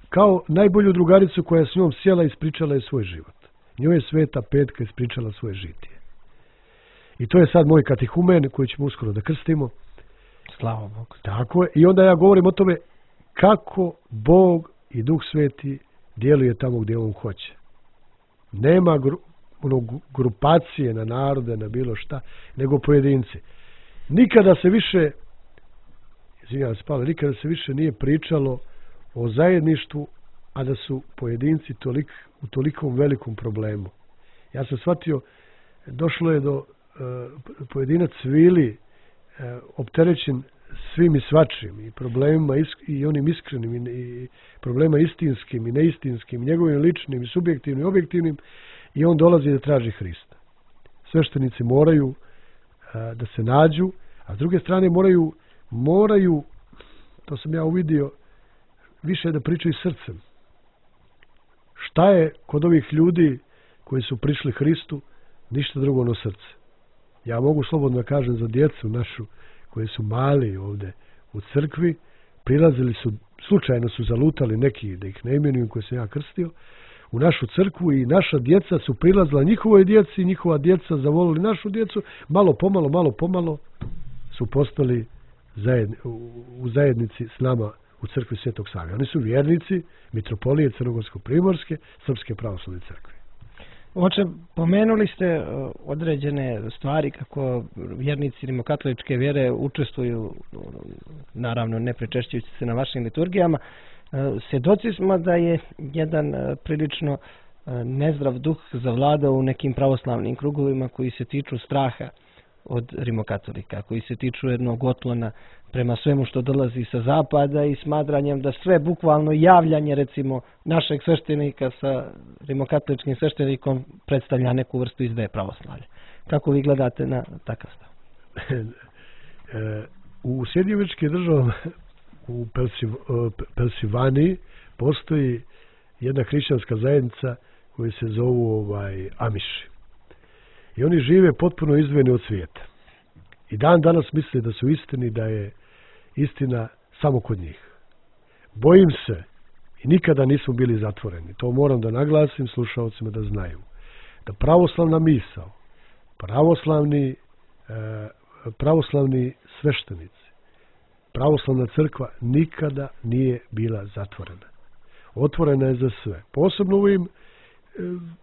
kao najbolju drugaricu koja je s njom sjela i ispričala je svoj život. Njoj je Sveta Petka ispričala svoje žitije. I to je sad moj katehumen koji ćemo uskoro da krstimo. Slava Bogu. Tako je. I onda ja govorim o tome kako Bog i Duh Sveti djeluje tamo gdje on hoće. Nema gru, ono, grupacije na narode, na bilo šta, nego pojedinci. Nikada se više, izvinjavam se Pavle, nikada se više nije pričalo o zajedništvu, a da su pojedinci tolik, u tolikom velikom problemu. Ja sam shvatio, došlo je do uh, pojedinac Vili uh, opterećen svim i svačim i problemima isk, i onim iskrenim i, i problema istinskim i neistinskim, njegovim ličnim i subjektivnim i objektivnim, i on dolazi da traži Hrista. Sveštenici moraju uh, da se nađu, a s druge strane moraju, moraju, to sam ja uvidio, više da pričaju srcem. Šta je kod ovih ljudi koji su prišli Hristu? Ništa drugo no srce. Ja mogu slobodno kažem za djecu našu koji su mali ovdje u crkvi, prilazili su, slučajno su zalutali neki, da ih ne imenujem, koje sam ja krstio, u našu crkvu i naša djeca su prilazila njihovoj djeci, njihova djeca zavolili našu djecu, malo pomalo, malo pomalo su postali zajedni, u zajednici s nama u crkvi Svetog Save. Oni su vjernici mitropolije Crnogorsko-primorske Srpske pravoslavne crkve. Oče, pomenuli ste uh, određene stvari kako vjernici rimokatoličke vjere učestvuju, naravno ne prečešćujući se na vašim liturgijama. Uh, svjedoci smo da je jedan uh, prilično uh, nezdrav duh zavladao u nekim pravoslavnim krugovima koji se tiču straha od rimokatolika, koji se tiču jednog otklona prema svemu što dolazi sa zapada i smatranjem da sve bukvalno javljanje recimo našeg sveštenika sa rimokatoličkim sveštenikom predstavlja neku vrstu izdaje pravoslavlja. Kako vi gledate na takav stav? U Sjedinjenim Američkim Državama u Pensilvaniji postoji jedna hrišćanska zajednica koja se zovu ovaj, Amiši. I oni žive potpuno izdvojeni od svijeta. I dan danas misle da su istini, da je istina samo kod njih. Bojim se, i nikada nismo bili zatvoreni, to moram da naglasim slušalcima da znaju, da pravoslavna misao, pravoslavni, eh, pravoslavni sveštenici, pravoslavna crkva nikada nije bila zatvorena. Otvorena je za sve. Posebno ovim, eh,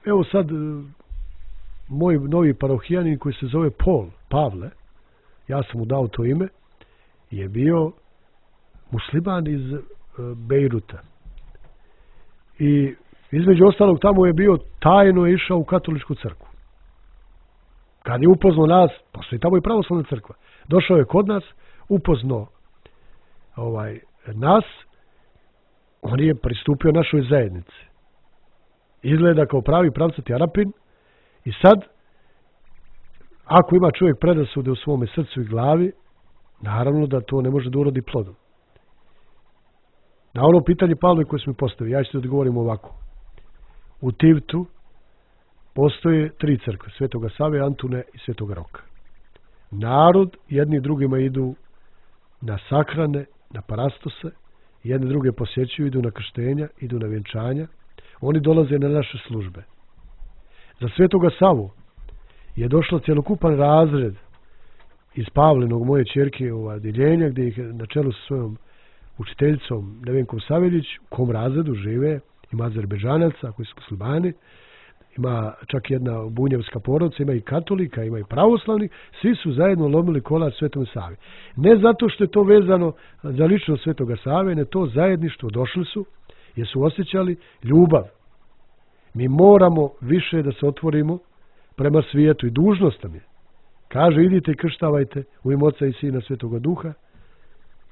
evo sad, moj novi parohijanin koji se zove Paul, Pavle, ja sam mu dao to ime, je bio musliman iz uh, Bejruta. I između ostalog tamo je bio tajno išao u katoličku crkvu. Kad je upoznao nas, postoji tamo i pravoslavna crkva. Došao je kod nas, upoznao ovaj, nas, on je pristupio našoj zajednici. Izgleda kao pravi pravcati Arapin. I sad, ako ima čovjek predrasude u svome srcu i glavi, naravno da to ne može da urodi plodom. Na ono pitanje Pavle koje smo postavili, ja ću da odgovorim ovako. U Tivtu postoje tri crkve, Svetoga Save, Antune i Svetoga Roka. Narod jedni drugima idu na sahrane, na parastose, jedni druge posjećuju, idu na krštenja, idu na vjenčanja, oni dolaze na naše službe. Za Svetoga Savu je došlo cjelokupan razred iz Pavlinog, moje ćerke, ova diljenja, gdje ih na čelu sa svojom učiteljicom Nevenkom Saveljić, u kom razredu žive, ima Azerbejdžanaca koji su muslimani, ima čak jedna bunjevska porodica, ima i katolika, ima i pravoslavni, svi su zajedno lomili kolač Svetom Savi. Ne zato što je to vezano za ličnost Svetoga Save, ne to zajedništvo, došli su jer su osjećali ljubav. Mi moramo više da se otvorimo prema svijetu i dužnost nam je. Kaže, idite i krštavajte u ime Oca i Sina Svetoga Duha,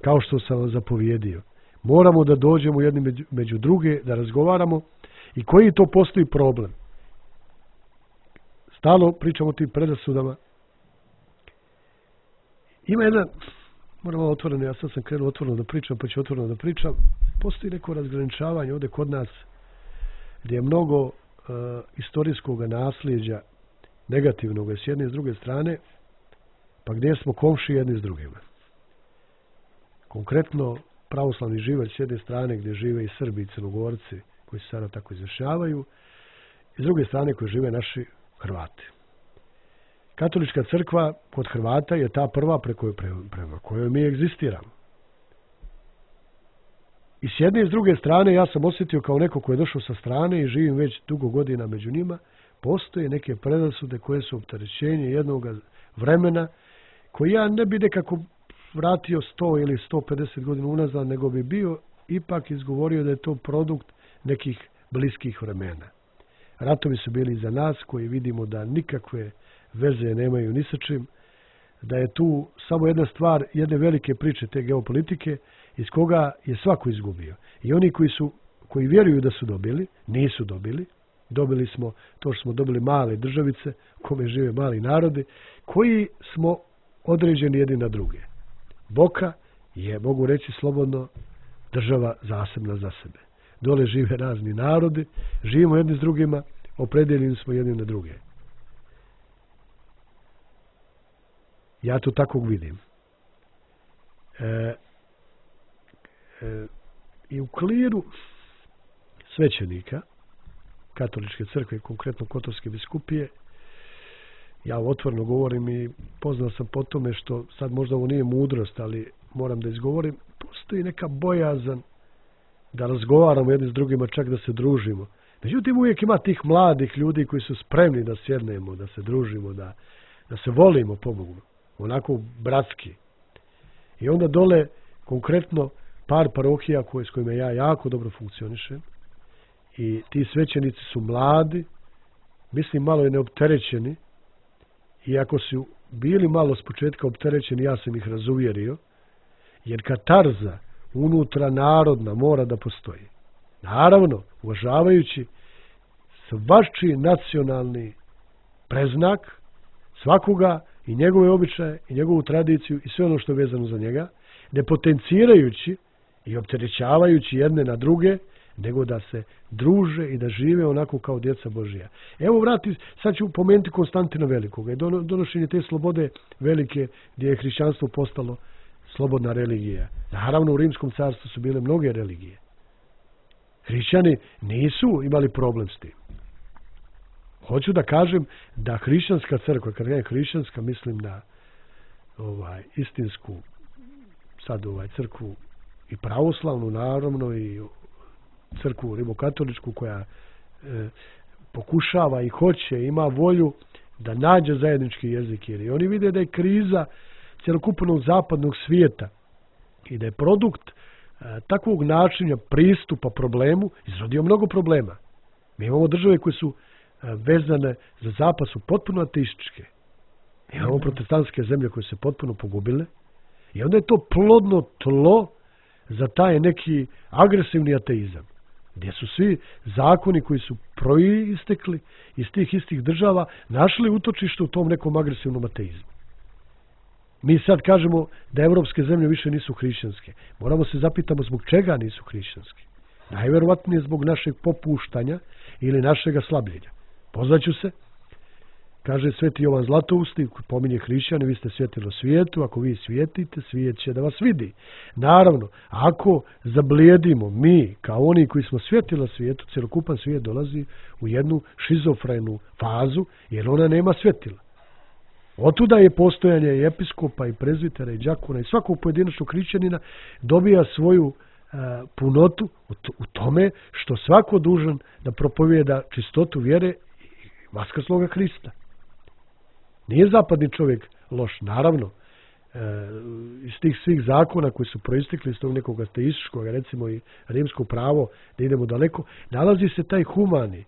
kao što sam vam zapovjedio. Moramo da dođemo jedni među, među druge, da razgovaramo i koji to postoji problem. Stalno pričamo o tim predrasudama. Ima jedan, moramo otvoreno, ja sad sam krenuo otvoreno da pričam, pa ću otvoreno da pričam. Postoji neko razgraničavanje ovdje kod nas, gdje je mnogo uh, istorijskog nasljeđa negativnog s jedne i s druge strane, pa gdje smo komši jedni s drugima. Konkretno, pravoslavni živalj s jedne strane gdje žive i Srbi i Crnogorci koji se sada tako izjašnjavaju, i s druge strane koji žive naši Hrvati. Katolička crkva kod Hrvata je ta prva preko, prema kojoj mi egzistiramo. I s jedne i s druge strane ja sam osjetio kao neko ko je došao sa strane i živim već dugo godina među njima, postoje neke predrasude koje su opterećenje jednog vremena koji ja ne bi nekako vratio sto ili sto pedeset godina unazad, nego bi bio ipak izgovorio da je to produkt nekih bliskih vremena. Ratovi su bili za nas koji vidimo da nikakve veze nemaju ni sa čim, da je tu samo jedna stvar, jedne velike priče te geopolitike iz koga je svako izgubio. I oni koji su, koji vjeruju da su dobili, nisu dobili. Dobili smo to što smo dobili male državice, u kome žive mali narodi, koji smo određeni jedni na druge. Boka je, mogu reći slobodno, država zasebna za sebe. Dole žive razni narodi, živimo jedni s drugima, opredeljeni smo jedni na druge. Ja to tako vidim. E, e, I u kliru svećenika katoličke crkve, konkretno Kotorske biskupije, ja otvoreno govorim i poznao sam po tome što sad možda ovo nije mudrost, ali moram da izgovorim, postoji neka bojazan da razgovaramo jedni s drugima, čak da se družimo. Međutim, uvijek ima tih mladih ljudi koji su spremni da sjednemo, da se družimo, da, da se volimo po Bogu, onako bratski. I onda dole, konkretno, par parohija koje, s kojima ja jako dobro funkcionišem, i ti svećenici su mladi, mislim malo je neopterećeni, i ako su bili malo s početka opterećeni, ja sam ih razuvjerio, jer katarza unutra narodna mora da postoji. Naravno, uvažavajući svačiji nacionalni preznak svakoga i njegove običaje i njegovu tradiciju i sve ono što je vezano za njega, ne potencirajući i opterećavajući jedne na druge, nego da se druže i da žive onako kao djeca Božija. Evo vrati, sad ću pomenuti Konstantina Velikoga i donošenje te slobode velike gdje je hrišćanstvo postalo slobodna religija. Naravno, u Rimskom carstvu su bile mnoge religije. Hrišćani nisu imali problem s tim. Hoću da kažem da hrišćanska crkva, kad kažem hrišćanska, mislim na ovaj istinsku sad ovaj crkvu i pravoslavnu, naravno, i crkvu rimokatoličku koja e, pokušava i hoće, ima volju da nađe zajednički jezik, jer oni vide da je kriza cjelokupnog zapadnog svijeta i da je produkt e, takvog načina pristupa problemu izrodio mnogo problema. Mi imamo države koje su e, vezane za zapad, su potpuno ateističke. Imamo protestantske zemlje koje se potpuno pogubile i onda je to plodno tlo za taj neki agresivni ateizam, gdje su svi zakoni koji su proistekli iz tih istih država našli utočište u tom nekom agresivnom ateizmu. Mi sad kažemo da evropske zemlje više nisu hrišćanske. Moramo se zapitamo zbog čega nisu hrišćanske. Najverovatnije zbog našeg popuštanja ili našega slabljenja. Pozvaću se, kaže sveti Jovan Zlatousti, pominje hrišćane, vi ste svjetilo svijetu, ako vi svijetite, svijet će da vas vidi. Naravno, ako zablijedimo mi, kao oni koji smo svjetila svijetu, cjelokupan svijet dolazi u jednu šizofrenu fazu, jer ona nema svjetila. Otuda je postojanje i episkopa, i prezvitera, i đakona, i svakog pojedinačnog hrišćanina dobija svoju uh, punotu u tome što svako dužan da propovijeda čistotu vjere i vaskrsloga Hrista. Nije zapadni čovjek loš, naravno, e, iz tih svih zakona koji su proistekli iz tog nekog ateističkog, recimo i rimsko pravo, da idemo daleko, nalazi se taj humani,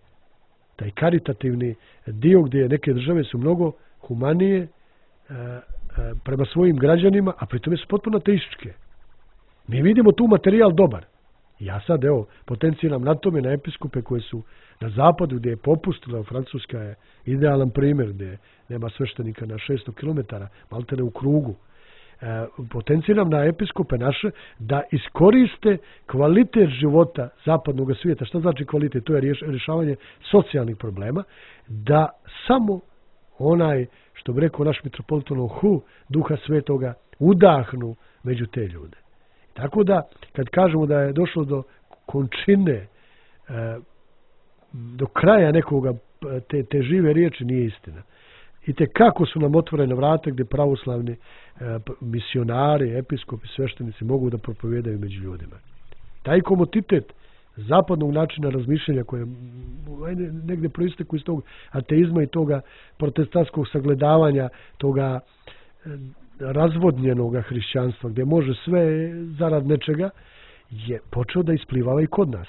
taj karitativni dio gdje neke države su mnogo humanije e, e, prema svojim građanima, a pritom su potpuno ateističke. Mi vidimo tu materijal dobar. Ja sad, evo, potenciram na tome na episkope koje su na zapadu gdje je popustila, Francuska je idealan primjer gdje nema sveštenika na šesto kilometara, maltene u krugu. E, potenciram na episkope naše da iskoriste kvalitet života zapadnog svijeta. Šta znači kvalitet? To je rješavanje socijalnih problema, da samo onaj, što bi rekao naš mitropolit Hu, Duha Svetoga, udahnu među te ljude. Tako da, kad kažemo da je došlo do končine, e, do kraja nekoga te, te žive riječi, nije istina. I te kako su nam otvorene vrata gdje pravoslavni e, misionari, episkopi, sveštenici mogu da propovijedaju među ljudima. Taj komotitet zapadnog načina razmišljanja koje negdje proisteku iz tog ateizma i toga protestantskog sagledavanja, toga e, razvodnjenoga hrišćanstva, gdje može sve zarad nečega, je počeo da isplivava i kod nas.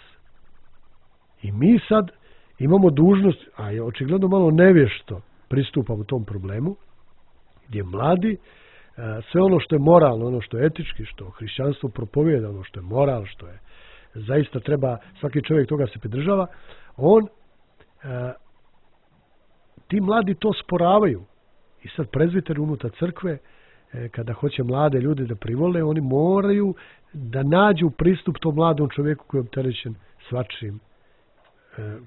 I mi sad imamo dužnost, a je očigledno malo nevješto pristupamo tom problemu, gdje mladi sve ono što je moralno, ono što je etički, što hrišćanstvo propovijeda, ono što je moral, što je zaista treba, svaki čovjek toga se pridržava, on ti mladi to sporavaju. I sad prezviteri unutar crkve, kada hoće mlade ljude da privole, oni moraju da nađu pristup tom mladom čovjeku koji je opterećen svačim,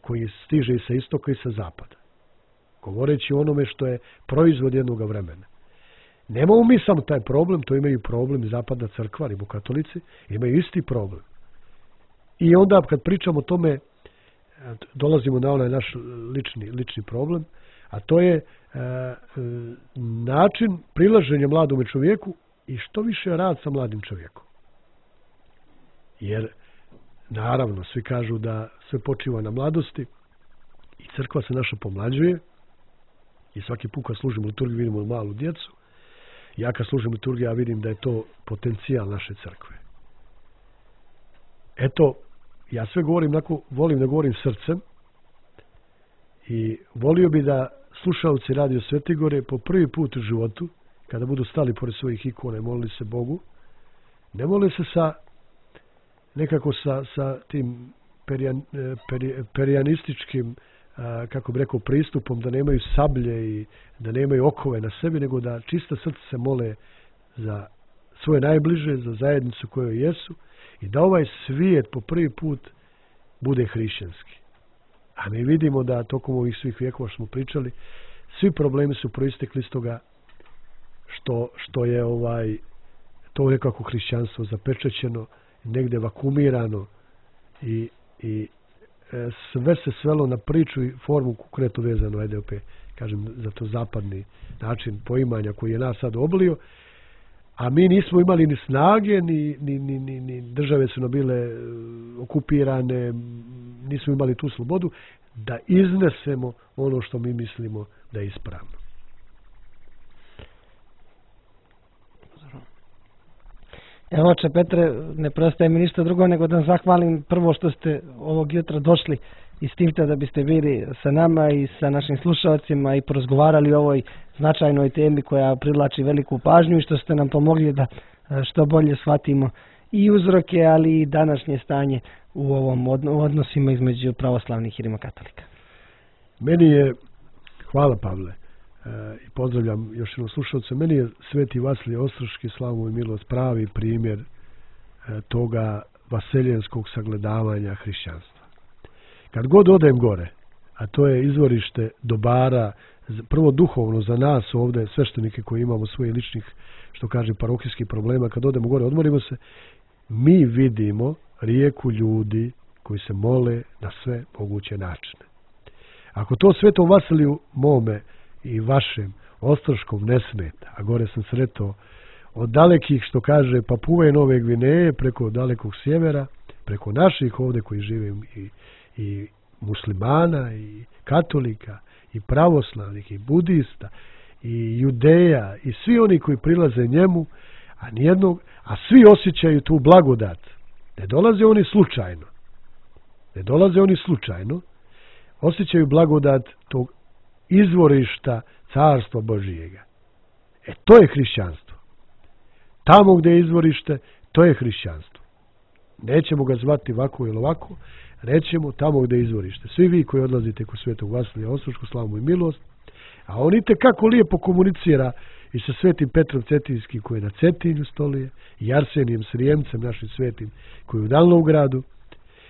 koji stiže i sa istoka i sa zapada. Govoreći o onome što je proizvod jednog vremena. Nemamo mi samo taj problem, to imaju problem i zapadna crkva, rimokatolici, imaju isti problem. I onda kad pričamo o tome, dolazimo na onaj naš lični, lični problem, a to je e, način prilaženja mladome čovjeku i što više rad sa mladim čovjekom. Jer naravno, svi kažu da sve počiva na mladosti i crkva se naša pomlađuje i svaki put kad služimo liturgiju vidimo malu djecu. Ja kad služim liturgiju ja vidim da je to potencijal naše crkve. Eto, ja sve govorim, onako, volim da govorim srcem i volio bi da slušalci Radio Svetigore po prvi put u životu, kada budu stali pored svojih ikona i molili se Bogu, ne mole se sa nekako sa, sa tim perijan, peri, perijanističkim, a, kako bi rekao, pristupom, da nemaju sablje i da nemaju okove na sebi, nego da čista srce se mole za svoje najbliže, za zajednicu kojoj jesu i da ovaj svijet po prvi put bude hrišćanski. A mi vidimo da tokom ovih svih vjekova što smo pričali, svi problemi su proistekli iz toga što, što je ovaj to nekako hrišćanstvo zapečećeno, negdje vakumirano i, i e, sve se svelo na priču i formu konkretno vezano, ajde opet kažem, za to zapadni način poimanja koji je nas sad oblio, a mi nismo imali ni snage, ni, ni, ni, ni, ni države su nam bile okupirane, nismo imali tu slobodu da iznesemo ono što mi mislimo da je ispravno. Evo, oče Petre, ne preostaje mi ništa drugo nego da zahvalim prvo što ste ovog jutra došli i s tim da biste bili sa nama i sa našim slušalcima i porazgovarali o ovoj značajnoj temi koja privlači veliku pažnju i što ste nam pomogli da što bolje shvatimo i uzroke, ali i današnje stanje u ovom odnosima između pravoslavnih i rimokatolika. Meni je, hvala Pavle, i pozdravljam još jednom slušalce, meni je Sveti Vasilije Ostroški, slavu mu i milost, pravi primjer toga vaseljenskog sagledavanja hrišćanstva. Kad god odem gore, a to je izvorište dobara, prvo duhovno za nas ovdje, sveštenike koji imamo svoje ličnih, što kaže, parohijskih problema, kad odemo gore, odmorimo se, mi vidimo rijeku ljudi koji se mole na sve moguće načine. Ako to Svetom Vasiliju mome i vašem Ostroškom ne smeta, a gore sam sretao od dalekih, što kaže, Papue Nove Gvineje, preko dalekog sjevera, preko naših ovdje koji žive i, i muslimana, i katolika, i pravoslavnih, i budista, i judeja, i svi oni koji prilaze njemu, a nijednog, a svi osjećaju tu blagodat. Ne dolaze oni slučajno. Ne dolaze oni slučajno. Osjećaju blagodat tog izvorišta Carstva Božijega. E, to je hrišćanstvo. Tamo gdje je izvorište, to je hrišćanstvo. Nećemo ga zvati ovako ili ovako, rećemo tamo gdje je izvorište. Svi vi koji odlazite kod Svetog Vasilija Ostroškog, slavu mu i milost, a on ite kako lijepo komunicira i sa Svetim Petrom Cetinskim koji je na Cetinju stolije, i Arsenijem Srijemcem, našim svetim, koji je u Dalnovgradu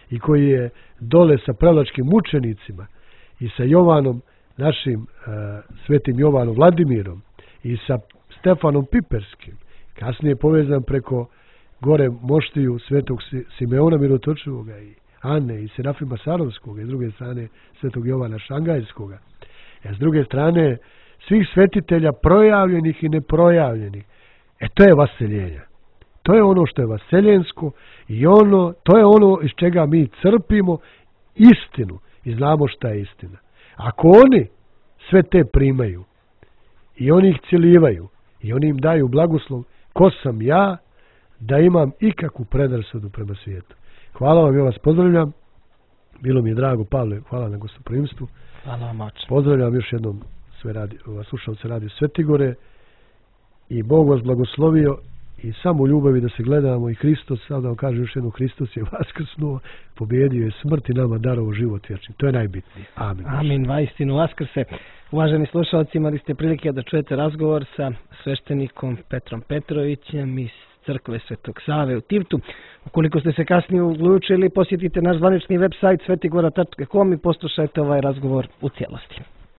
i koji je dole sa prelačkim mučenicima i sa Jovanom, našim uh, svetim Jovanom Vladimirom i sa Stefanom Piperskim, kasnije povezan preko gore moštiju Svetog Simeona Mirotočivoga i Ane i Serafima Sarovskoga i s druge strane Svetog Jovana Šangajskoga. A s druge strane svih svetitelja projavljenih i neprojavljenih. E, to je vaseljenje. To je ono što je vaseljensko i ono, to je ono iz čega mi crpimo istinu i znamo šta je istina. Ako oni sve te primaju i oni ih ciljivaju i oni im daju blagoslov, ko sam ja da imam ikakvu predrasudu prema svijetu. Hvala vam, ja vas pozdravljam. Bilo mi je drago, Pavle, hvala na gostoprimstvu. Hvala vam, oče. Pozdravljam još jednom sve radi, slušalce Radio Svetigore i Bog vas blagoslovio i samo u ljubavi da se gledamo i Hristos, sad da vam kažem još jednom, Hristos je vaskrsnuo, pobjedio je smrt i nama darovo život vječni. To je najbitnije. Amin. Amin, vaistinu vaskrse. Uvaženi slušalci, imali ste prilike da čujete razgovor sa sveštenikom Petrom Petrovićem iz Crkve Svetog Save u Tivtu. Ukoliko ste se kasnije uključili, posjetite naš zvanični web sajt svetigora tačka com i poslušajte ovaj razgovor u cijelosti.